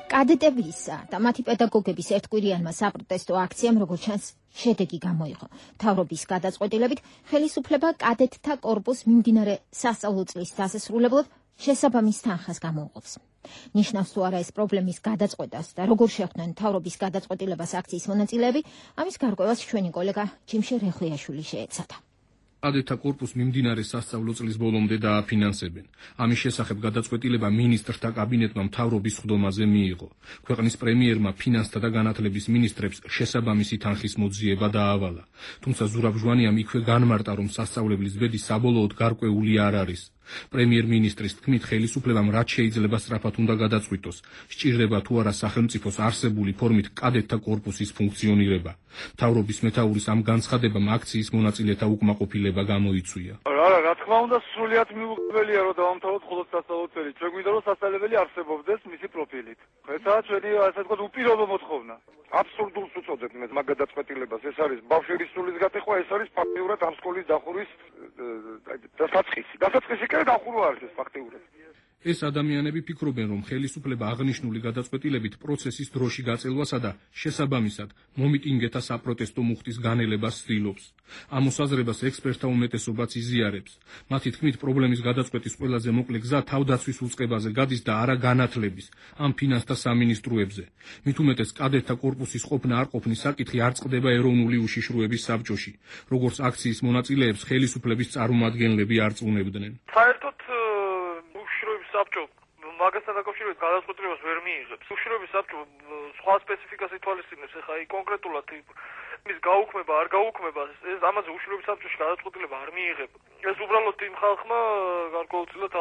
კადეტებისა და მათი პედაგოგების ერთკვირიანმა საპროტესტო აქციამ, როგორც ჩანს, შედეგი გამოიღო. მთავრობის გადაწყვეტილებით ხელისუფლება კადეტთა კორპუსს მიმდინარე სასწავლო წლის დასასრულებლად შესაბამის თანხას გამოუყოფს. ნიშნავს თუ არა ეს პრობლემის გადაწყვეტას და როგორ შეხვდნენ მთავრობის გადაწყვეტილებას აქციის მონაწილეები, ამის გარკვევას ჩვენი კოლეგა ჯიმშე რეხვიაშვილი შეეცადა. კადეტთა კორპუსს მიმდინარე სასწავლო წლის ბოლომდე დააფინანსებენ. ამის შესახებ გადაწყვეტილება მინისტრთა კაბინეტმა მთავრობის სხდომაზე მიიღო. ქვეყნის პრემიერმა ფინანსთა და განათლების მინისტრებს შესაბამისი თანხის მოძიება დაავალა. თუმცა ზურაბ-ჟვანიამ იქვე განმარტა, რომ სასწავლებლის ბედი საბოლოოდ გარკვეული არ არის. პრემიერ-მინისტრის თქმით, ხელისუფლებამ რაც შეიძლება სწრაფად უნდა გადაწყვიტოს, სჭირდება თუ არა სახელმწიფოს არსებული ფორმით კადეტთა კორპუსის ფუნქციონირება. მთავრობის მეთაურის ამ განცხადებამ აქციის მონაწილეთა უკმაყოფილება გამოიწვია. რა თქმა უნდა, სრულიად მიუღებელია, რომ დავამთავროთ მხოლოდ სასწავლო წელი. ჩვენ გვინდა, რომ სასწავლებელი არსებობდეს მისი პროფილით. ესაა ჩვენი, ასე ვთქვათ, უპირობო მოთხოვნა. აბსურდულს უწოდებ მე მაგ გადაწყვეტილებას. ეს არის ბავშვების სულის გატეხვა, ეს არის ფაქტიურად ამ სკოლის დახურვის დასაწყისი. დასაწყისი კი დახურვა არის ეს ფაქტიურად. ეს ადამიანები ფიქრობენ, რომ ხელისუფლება აღნიშნული გადაწყვეტილებით პროცესის დროში გაწელვასა და შესაბამისად მომიტინგეთა საპროტესტო მუხტის განელებას ცდილობს. ამ მოსაზრებას ექსპერტთა უმეტესობაც იზიარებს. მათი თქმით, პრობლემის გადაწყვეტის ყველაზე მოკლე გზა თავდაცვის უწყებაზე გადის და არა განათლების, ამ ფინანსთა სამინისტროებზე. მით უმეტეს კადეტთა კორპუსის ყოფნა არ ყოფნის საკითხი არ წყდება ეროვნული უშიშროების საბჭოში, როგორც აქციის მონაწილეებს ხელისუფლების წარმომადგენლები არწმუნებდნენ. საერთოდ საბჭო მაგასთან დაკავშირებით გადაწყვეტილებას ვერ მიიღებს. უშიშროების საბჭო სხვა სპეციფიკას ითვალისწინებს, ეხლა კონკრეტულად მის გაუქმება, არ გაუქმება, ეს ამაზე უშიშროების საბჭოში გადაწყვეტილება არ მიიღება. ეს უბრალოდ იმ ხალხმა გარკვეულწილად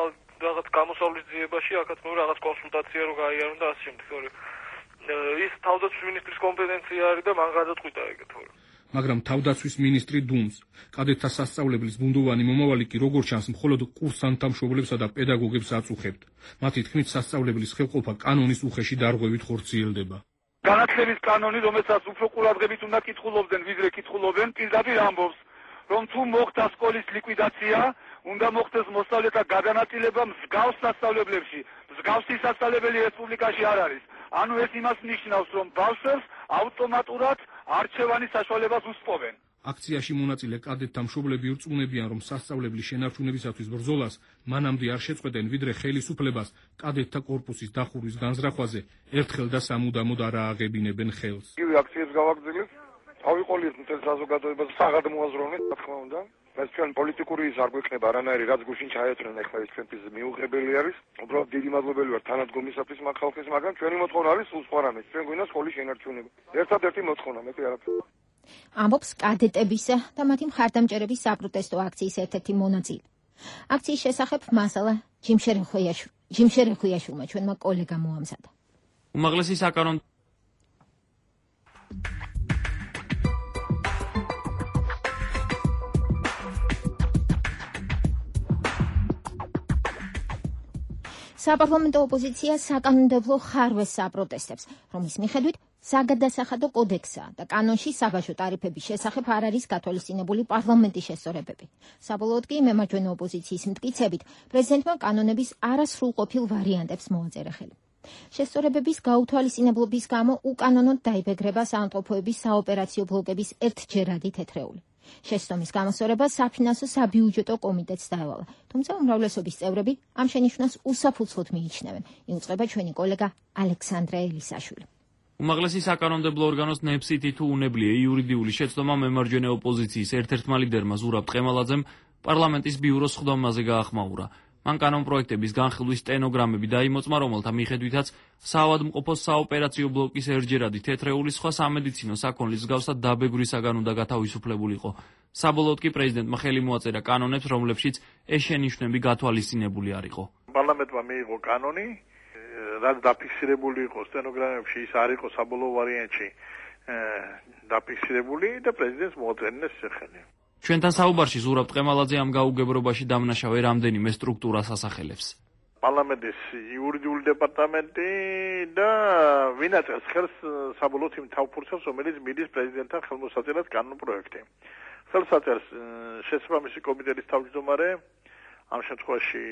რაღაც გამოსავლის ძიებაში, აქაც მე რაღაც კონსულტაცია რო გაიარონ და ასე შემდეგ. ის თავდაცვის მინისტრის კომპეტენცია არის და მან გადაწყვიტა ეგეთ თორე. მაგრამ თავდაცვის მინისტრი დუმს. კადეტთა სასწავლებლის ბუნდოვანი მომავალი კი როგორც ჩანს მხოლოდ კურსანტთა მშობლებსა და პედაგოგებს აწუხებთ. მათი თქმით, სასწავლებლის ხელყოფა კანონის უხეში დარღვევით ხორციელდება. განათლების კანონი, რომელსაც უფრო ყურადღებით უნდა კითხულობდნენ, ვიდრე კითხულობენ, პირდაპირ ამბობს, რომ თუ მოხდა სკოლის ლიკვიდაცია, უნდა მოხდეს მოსწავლეთა გადანაწილება მსგავს სასწავლებლებში. მსგავსი სასწავლებელი რესპუბლიკაში არ არის. ანუ ეს იმას ნიშნავს, რომ ბავშვებს ავტომატურად არჩევანის საშუალებას უსპოვენ. აქციაში მონაწილე კადეტთა მშობლები ირწმუნებიან, რომ სასწავლებლის შენარჩუნებისათვის ბრძოლას მანამდე არ შეწყვეტენ, ვიდრე ხელისუფლებას კადეტთა კორპუსის დახურვის განზრახვაზე ერთხელ და სამუდამოდ არ ააღებინებენ ხელს. იგივე აქციებს გავაგრძელებთ. ავიყოლიეთ მთელ საზოგადოებას საღად მოაზროვნეთ, რა თქმა უნდა. ეს ჩვენ პოლიტიკური ის არ გვექნება არანაირი, რაც გუშინ ჩაეწრნენ, ახლა ეს ჩვენთვის მიუღებელი არის. უბრალოდ დიდი მადლობელი ვარ თანადგომისათვის მაგ ხალხის, მაგრამ ჩვენი მოთხოვნა არის სულ სხვა რამე. ჩვენ გვინდა სკოლის შენარჩუნება. ერთადერთი მოთხოვნა, მეტი არაფერი. ამბობს კადეტებისა და მათი მხარდამჭერების საპროტესტო აქციის ერთ-ერთი მონაწილე. აქციის შესახებ მასალა ჯიმშე რეხვიაშვილმა ჩვენმა კოლეგამ მოამზადა. უმაღლესი საკანონმდებლო საპარლამენტო ოპოზიცია საკანონმდებლო ხარვეს საპროტესტებს, რომლის მიხედვით საგადასახადო კოდექსსა და კანონში საბაჟო ტარიფების შესახებ არ არის გათვალისწინებული პარლამენტის შესწორებები. საბოლოოდ კი მემარჯვენე ოპოზიციის მტკიცებით პრეზიდენტმა კანონების არასრულყოფილ ვარიანტებს მოაწერა ხელი. შესწორებების გაუთვალისწინებლობის გამო უკანონოდ დაიბეგრება საავადმყოფოების საოპერაციო ბლოკების ერთჯერადი თეთრეული. შესწომის გამოსწორება საფინანსო საბიუჯეტო კომიტეტს დაევალა, თუმცა უმრავლესობის წევრები ამ შენიშვნას უსაფუძვლოდ მიიჩნევენ, იუწყება ჩვენი კოლეგა ალექსანდრე ელისაშვილი. უმაღლესი საკანონმდებლო ორგანოს ნებსითი თუ უნებლიე იურიდიული შეცდომა მემარჯვენე ოპოზიციის ერთ-ერთმა ლიდერმა ზურაბ ტყემალაძემ პარლამენტის ბიუროს სხდომაზე გაახმაურა. მან კანონპროექტების განხილვის სტენოგრამები დაიმოწმა, რომელთა მიხედვითაც საავადმყოფოს საოპერაციო ბლოკის ერთჯერადი თეთრეული სხვა სამედიცინო საქონლის მსგავსად დაბეგვრისაგან უნდა გათავისუფლებულიყო. საბოლოოდ კი პრეზიდენტმა ხელი მოაწერა კანონებს, რომლებშიც ეს შენიშვნები გათვალისწინებული არ იყო. პარლამენტმა მიიღო კანონი, რაც დაფიქსირებული იყო სტენოგრამებში, ის არ იყო საბოლოო ვარიანტში დაფიქსირებული და პრეზიდენტს მოაწერინა სახელი. ჩვენთან საუბარში ზურაბ ტყემალაძე ამ გაუგებრობაში დამნაშავე რამდენიმე სტრუქტურას ასახელებს. პარლამენტის იურიდიული დეპარტამენტი და ვინაც ხელს საბოლოოდ იმ თავფურცელს, რომელიც მიდის პრეზიდენტთან ხელმოსაწერად კანონპროექტი. ხელს აწერს შესაბამისი კომიტეტის თავმჯდომარე, ამ შემთხვევაში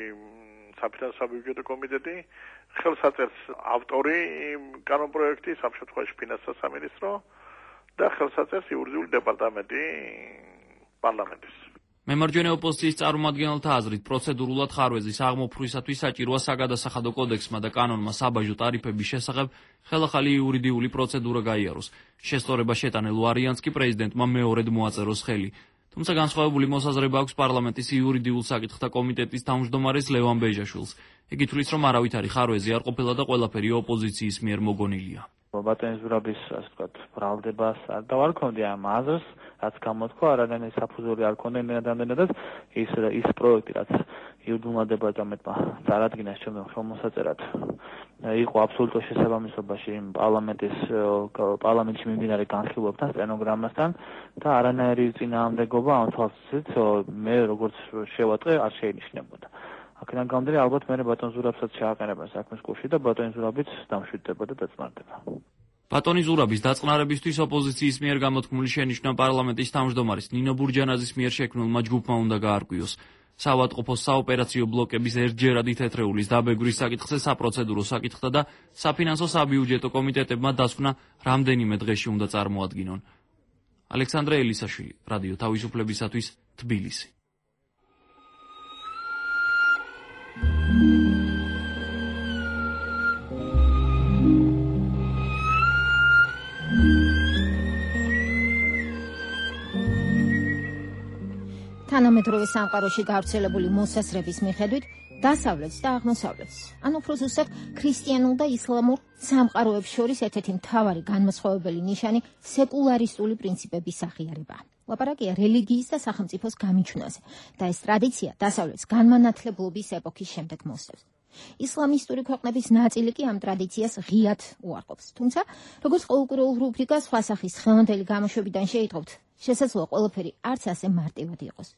საფინანსო საბიუჯეტო კომიტეტი, ხელს აწერს ავტორი კანონპროექტის, ამ შემთხვევაში ფინანსთა სამინისტრო და ხელს აწერს იურიდიული დეპარტამენტი პარლამენტის. მემარჯვენე ოპოზიციის წარმომადგენელთა აზრით, პროცედურულად ხარვეზის აღმოფხვისათვის საჭიროა საგადასახადო კოდექსმა და კანონმა საბაჟო ტარიფების შესახებ ხელახალი იურიდიული პროცედურა გაიაროს. შესწორება შეტანილ ვარიანტს კი პრეზიდენტმა მეორედ მოაწეროს ხელი. თუმცა განსხვავებული მოსაზრება აქვს პარლამენტის იურიდიულ საკითხთა კომიტეტის თავმჯდომარეს ლევან ბეჟაშვილს. იგი თვლის, რომ არავითარი ხარვეზი არ ყოფილა და ყველაფერი ოპოზიციის მიერ მოგონილია. ბატონის ზურაბის, ასე ვთქვათ, ბრალდებას არ დავარქონდი ამ აზრს, რაც გამოთქვა, არადანი საფუძველი არ ქონდა რამდენადაც ის პროექტი, რაც იურიდიულმა დეპარტამენტმა წარადგინეს ჩემთან ხელმოსაწერად, იყო აბსოლუტურ შესაბამისობაში იმ პარლამენტში მიმდინარე განხილვებთან, სტენოგრამასთან და არანაირი წინააღმდეგობა ამ თვალსაზრისით მე როგორც შევატყე არ შეინიშნებოდა. აქედან გამომდინარე, ალბათ მე ბატონ ზურაბსაც შეაყენებენ საქმის კურსში და ბატონი ზურაბიც დამშვიდდება და დაწნარდება. ბატონი ზურაბის დაწყნარებისთვის ოპოზიციის მიერ გამოთქმული შენიშვნა პარლამენტის თავმჯდომარის ნინო ბურჯანაძის მიერ შექმნილმა ჯგუფმა უნდა გაარკვიოს. საავადმყოფოს საოპერაციო ბლოკების ერთჯერადი თეთრეულის დაბეგვრის საკითხზე საპროცედურო საკითხთა და საფინანსო საბიუჯეტო კომიტეტებმა დასკვნა რამდენიმე დღეში უნდა წარმოადგინონ. ალექსანდრე ელისაშვილი, რადიო თავისუფლებისათვის, თბილისი. თანამედროვე სამყაროში გავრცელებული მოსაზრების მიხედვით დასავლეთს და აღმოსავლეთს, ან უფრო ზუსტად ქრისტიანულ და ისლამურ სამყაროებს შორის ერთ-ერთი მთავარი განმასხვავებელი ნიშანი სეკულარისტული პრინციპების აღიარებაა. ლაპარაკია რელიგიის და სახელმწიფოს გამიჩნევაზე და ეს ტრადიცია დასავლეთს განმანათლებლობის ეპოქის შემდეგ მოსდევს. ისლამისტური ქვეყნების ნაწილი კი ამ ტრადიციას ღიად უარყოფს. თუმცა, როგორც ყოველკვირეულ რუბრიკას სხვა სახის ხელმოდელი გამოშვებიდან შეიტყობთ, შესაძლოა ყველაფერი არც ასე მარტივად იყოს.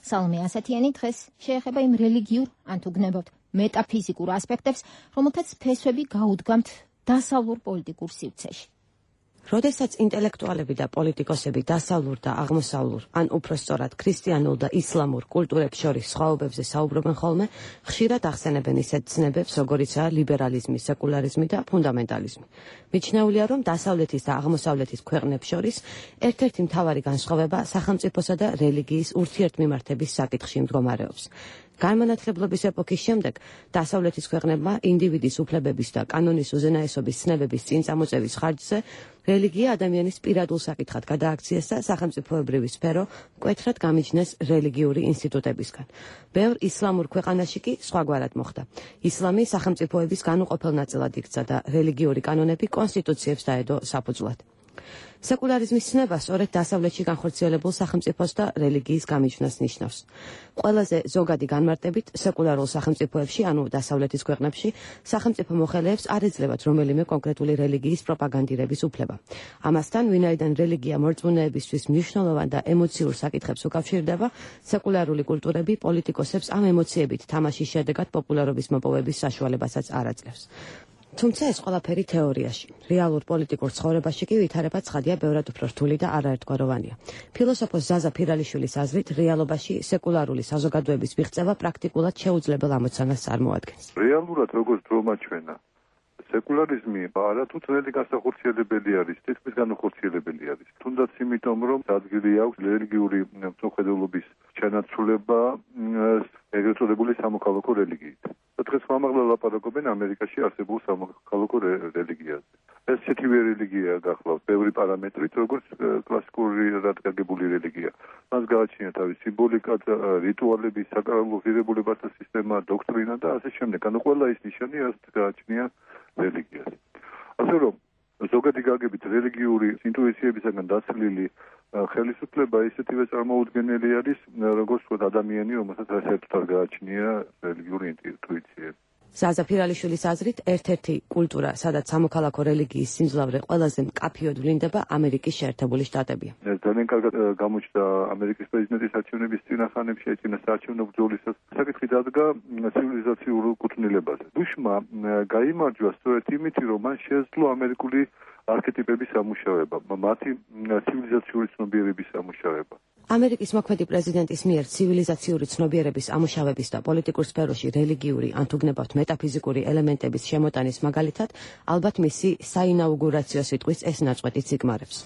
სალომე ასათიანი დღეს შეეხება იმ რელიგიურ, ან თუ გნებავთ, მეტაფიზიკურ ასპექტებს, რომელთაც ფესვები გაუდგამთ დასავლურ პოლიტიკურ სივრცეში. როდესაც ინტელექტუალები და პოლიტიკოსები დასავლურ და აღმოსავლურ, ან უფრო სწორად ქრისტიანულ და ისლამურ კულტურებს შორის სხვაობებზე საუბრობენ ხოლმე, ხშირად ახსენებენ ისეთ ცნებებს, როგორიცაა ლიბერალიზმი, სეკულარიზმი და ფუნდამენტალიზმი. მიჩნეულია, რომ დასავლეთის და აღმოსავლეთის ქვეყნებს შორის ერთ-ერთი მთავარი განსხვავება სახელმწიფოსა და რელიგიის ურთიერთმიმართების საკითხში მდგომარეობს. განმანათლებლობის ეპოქის შემდეგ დასავლეთის ქვეყნებმა ინდივიდის უფლებების და კანონის უზენაესობის ცნებების წინ წამოწევის ხარჯზე რელიგია ადამიანის პირადულ საკითხად გადააქციეს და სახელმწიფოებრივი სფერო მკვეთრად გამიჯნეს რელიგიური ინსტიტუტებისგან. ბევრ ისლამურ ქვეყანაში კი სხვაგვარად მოხდა. ისლამი სახელმწიფოების განუყოფელ ნაწილად იქცა და რელიგიური კანონები კონსტიტუციებს დაედო საფუძვლად. სეკულარიზმის ცნება სწორედ დასავლეთში განხორციელებულ სახელმწიფოს და რელიგიის გამიჯვნას ნიშნავს. ყველაზე ზოგადი განმარტებით, სეკულარულ სახელმწიფოებში, ანუ დასავლეთის ქვეყნებში, სახელმწიფო მოხელეებს არ ეძლებათ რომელიმე კონკრეტული რელიგიის პროპაგანდირების უფლება. ამასთან, ვინაიდან რელიგია მორწმუნეებისთვის მნიშვნელოვან და ემოციურ საკითხებს უკავშირდება, სეკულარული კულტურები პოლიტიკოსებს ამ ემოციებით თამაშის შედეგად პოპულარობის მოპოვების საშუალებასაც არ აძლევს. თუმცა ეს ყველაფერი თეორიაში. რეალურ პოლიტიკურ ცხოვრებაში კი ვითარება ცხადია ბევრად უფრო რთული და არაერთგვაროვანია. ფილოსოფოს ზაზა ფირალიშვილის აზრით, რეალობაში სეკულარული საზოგადოების მიღწევა პრაქტიკულად შეუძლებელ ამოცანას წარმოადგენს. რეალურად როგორც დრო მაჩვენა, სეკულარიზმი არათუ ძნელი განსახორციელებელი არის, თითქმის განუხორციელებელი არის. თუნდაც იმიტომ, რომ ადგილი აქვს რელიგიური მწოხედელობის ჩანაცვლება ეგრეთ წოდებული სამოქალაქო რელიგიით. დღეს ხმამაღლა ლაპარაკობენ ამერიკაში არსებულ სამოქალაქო რელიგიაზე. ეს ისეთივე რელიგია გახლავთ ბევრი პარამეტრით, როგორც კლასიკური რადგაგებული რელიგია. მას გააჩნია თავის სიმბოლიკა, რიტუალები, საკრალო ღირებულებათა სისტემა, დოქტრინა და ასე შემდეგ. ანუ ყველა ის ნიშანი ასე გააჩნია რელიგიას. ასე რომ ზოგადი გაგებით რელიგიური ინტუიციებისაგან დაცლილი ხელისუფლება ისეთივე წარმოუდგენელი არის, როგორც ვთქვათ ადამიანი, რომელსაც საერთოდ არ გააჩნია რელიგიური ინტუიციები. ზაზა ფირალიშვილის აზრით, ერთ-ერთი კულტურა, სადაც სამოქალაქო რელიგიის სიმძლავრე ყველაზე მკაფიოდ ვლინდება ამერიკის შეერთებული შტატებია. ძალიან კარგად გამოჩნდა ამერიკის პრეზიდენტის არჩევნების წინახანებში, წინა საარჩევნო ბრძოლისას. საკითხი დადგა ცივილიზაციურ კუთვნილებაზე. ბუშმა გაიმარჯვა სწორედ იმით, რომ მან შეძლო ამერიკული არქეტიპების სამუშაოება, მათი ცივილიზაციური ცნობიერების სამუშაოება. ამერიკის მოქმედი პრეზიდენტის მიერ ცივილიზაციური ცნობიერების ამუშავების და პოლიტიკურ სფეროში რელიგიური ან თუ გნებავთ მეტაფიზიკური ელემენტების შემოტანის მაგალითად, ალბათ მისი საინაუგურაციო სიტყვის ეს ნაწყვეტიც იგმარებს.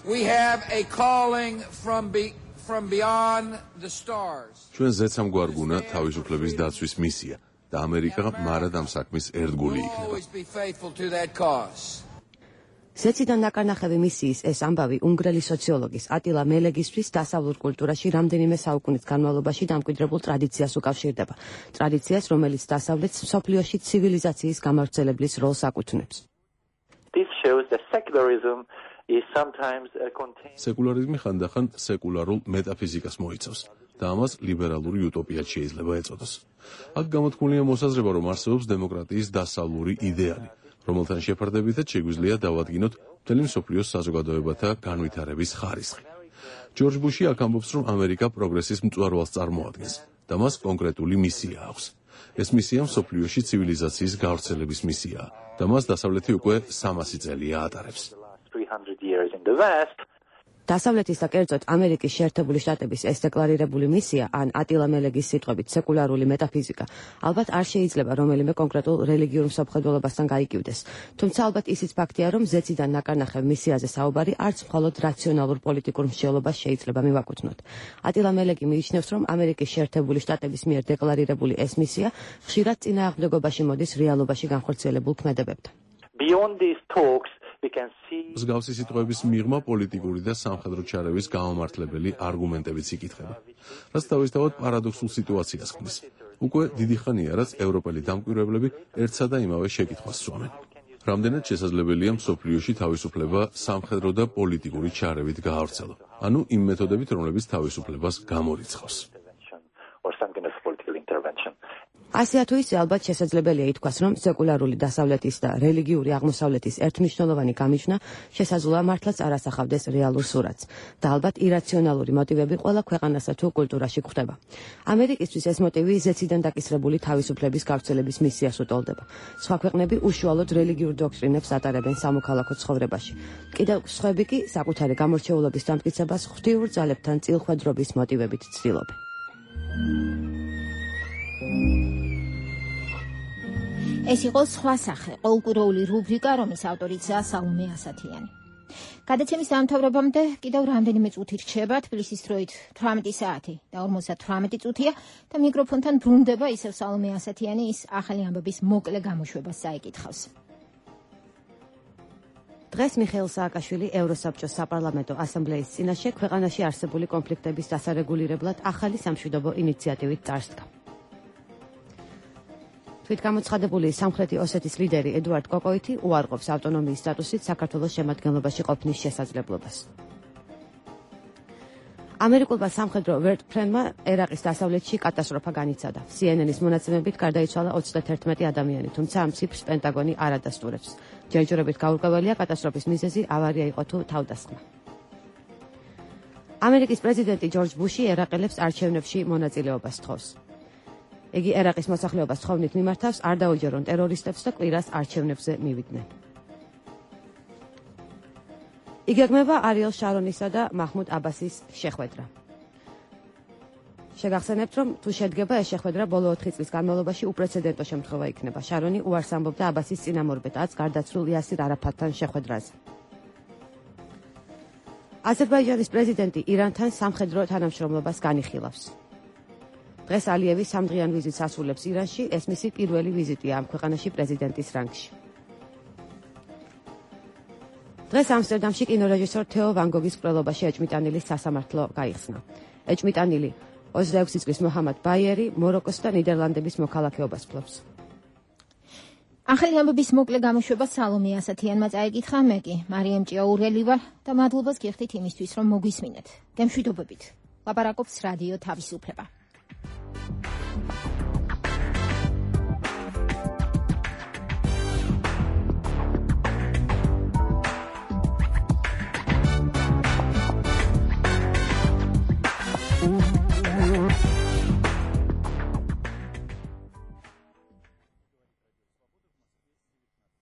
ჩვენ ზეცამ გვარგუნა თავისუფლების დაცვის მისია და ამერიკა მარად ამ საქმის ერთგული იქნება. ზეციდან ნაკარნახევი მისიის ეს ამბავი უნგრელი სოციოლოგის ატილა მელეგისთვის დასავლურ კულტურაში რამდენიმე საუკუნის განმავლობაში დამკვიდრებულ ტრადიციას უკავშირდება. ტრადიციას, რომელიც დასავლეთს მსოფლიოში ცივილიზაციის გამავრცელებლის როლს აკუთვნებს. სეკულარიზმი ხანდახან სეკულარულ მეტაფიზიკას მოიცავს და ამას ლიბერალური utopia-ც შეიძლება ეწოდოს. აქ გამოთქმულია მოსაზრება, რომ არსებობს დემოკრატიის დასავლური იდეალი, რომელთან შეფარდებითაც შეგვიძლია დავადგინოთ მთელი მსოფლიოს საზოგადოებათა განვითარების ხარისხი. ჯორჯ ბუში აქ ამბობს, რომ ამერიკა პროგრესის მწვერვალს წარმოადგენს და მას კონკრეტული მისია აქვს. ეს მისია მსოფლიოში ცივილიზაციის გავრცელების მისიაა და მას დასავლეთი უკვე 300 წელია ატარებს. დასავლეთის და კერძოდ ამერიკის შეერთებული შტატების ეს დეკლარირებული მისია ან ატილა მელეგის სიტყვებით სეკულარული მეტაფიზიკა ალბათ არ შეიძლება რომელიმე კონკრეტულ რელიგიურ მსოფლმხედველობასთან გაიკივდეს. თუმცა ალბათ ისიც ფაქტია, რომ ზეციდან ნაკარნახევ მისიაზე საუბარი არც მხოლოდ რაციონალურ პოლიტიკურ მსჯელობას შეიძლება მივაკუთვნოთ. ატილა მელეგი მიიჩნევს, რომ ამერიკის შეერთებული შტატების მიერ დეკლარირებული ეს მისია ხშირად წინააღმდეგობაში მოდის რეალობაში განხორციელებულ ქმედებებთან. მსგავსი სიტყვების მიღმა პოლიტიკური და სამხედრო ჩარევის გამომართლებელი არგუმენტებიც იკითხება, რაც თავისთავად პარადოქსულ სიტუაციას ქმნის. უკვე დიდი ხანია, რაც ევროპელი დამკვირვებლები ერთსა და იმავე შეკითხვას სვამენ. რამდენად შესაძლებელია მსოფლიოში თავისუფლება სამხედრო და პოლიტიკური ჩარევით გაავრცელო, ანუ იმ მეთოდებით, რომლებიც თავისუფლებას გამორიცხავს. ასე თუ ისე ალბათ შესაძლებელია ითქვას, რომ სეკულარული დასავლეთის და რელიგიური აღმოსავლეთის ერთმნიშვნელოვანი გამიჯვნა შესაძლოა მართლაც არ ასახავდეს რეალურ სურათს და ალბათ ირაციონალური მოტივები ყველა ქვეყანასა თუ კულტურაში გვხვდება. ამერიკისთვის ეს მოტივი ზეციდან დაკისრებული თავისუფლების გავრცელების მისიას უტოლდება. სხვა ქვეყნები უშუალოდ რელიგიურ დოქტრინებს ატარებენ სამოქალაქო ცხოვრებაში. კიდევ სხვები კი საკუთარი გამორჩეულობის დამტკიცებას ღვთიურ ძალებთან წილხვედრობის მოტივებით ცდილობენ. ეს იყო სხვა სახე, ყოველკვირეული რუბრიკა, რომლის ავტორიცაა სალომე ასათიანი. გადაცემის დამთავრებამდე კიდევ რამდენიმე წუთი რჩება, თბილისის დროით 18 საათი და 58 წუთია და მიკროფონთან ბრუნდება ისევ სალომე ასათიანი, ის ახალი ამბების მოკლე გამოშვებას საიკითხავს. დღეს მიხეილ სააკაშვილი ევროსაბჭოს საპარლამენტო ასამბლეის წინაშე ქვეყანაში არსებული კონფლიქტების დასარეგულირებლად ახალი სამშვიდობო ინიციატივით წარსდგა. თვითგამოცხადებული სამხრეთი ოსეთის ლიდერი ედუარდ კოკოიტი უარყოფს ავტონომიის სტატუსით საქართველოს შემადგენლობაში ყოფნის შესაძლებლობას. ამერიკულმა სამხედრო ვერტფრენმა ერაყის დასავლეთში კატასტროფა განიცადა. CNN-ის მონაცემებით გარდაიცვალა 31 ადამიანი, თუმცა ამ ციფრს პენტაგონი არ ადასტურებს. ჯერჯერობით გაურკვეველია კატასტროფის მიზეზი ავარია იყო თუ თავდასხმა. ამერიკის პრეზიდენტი ჯორჯ ბუში ერაყელებს არჩევნებში მონაწილეობას თხოვს. იგი ერაყის მოსახლეობას თხოვნით მიმართავს, არ დაუჯერონ ტერორისტებს და კვირას არჩევნებზე მივიდნენ. იგეგმება არიელ შარონისა და მაჰმუდ აბასის შეხვედრა. შეგახსენებთ, რომ თუ შედგება ეს შეხვედრა ბოლო 4 წლის განმავლობაში უპრეცედენტო შემთხვევა იქნება. შარონი უარს ამბობდა აბასის წინამორბედაც გარდაცვლილ იასირ არაფატთან შეხვედრაზე. აზერბაიჯანის პრეზიდენტი ირანთან სამხედრო თანამშრომლობას განიხილავს. დღეს ალიევი 3 დღიან ვიზიტს ასრულებს ირანში, ეს მისი პირველი ვიზიტია ამ ქვეყანაში პრეზიდენტის რანგში. დღეს ამსტერდამში კინორეჟისორ თეო ვან გოგის მკვლელობაში ეჭმიტანილის სასამართლო გაიხსნა. ეჭმიტანილი 26 წლის მოჰამად ბაიერი მოროკოს და ნიდერლანდების მოქალაქეობას ფლობს. ახალი ამბების მოკლე გამოშვება სალომე ასათიანმა წაიკითხა, მე კი მარიამ ჭიაურელი ვარ და მადლობას გიხდით იმისთვის, რომ მოგვისმინეთ. გემშვიდობებით. ლაპარაკობს რადიო თავისუფლება.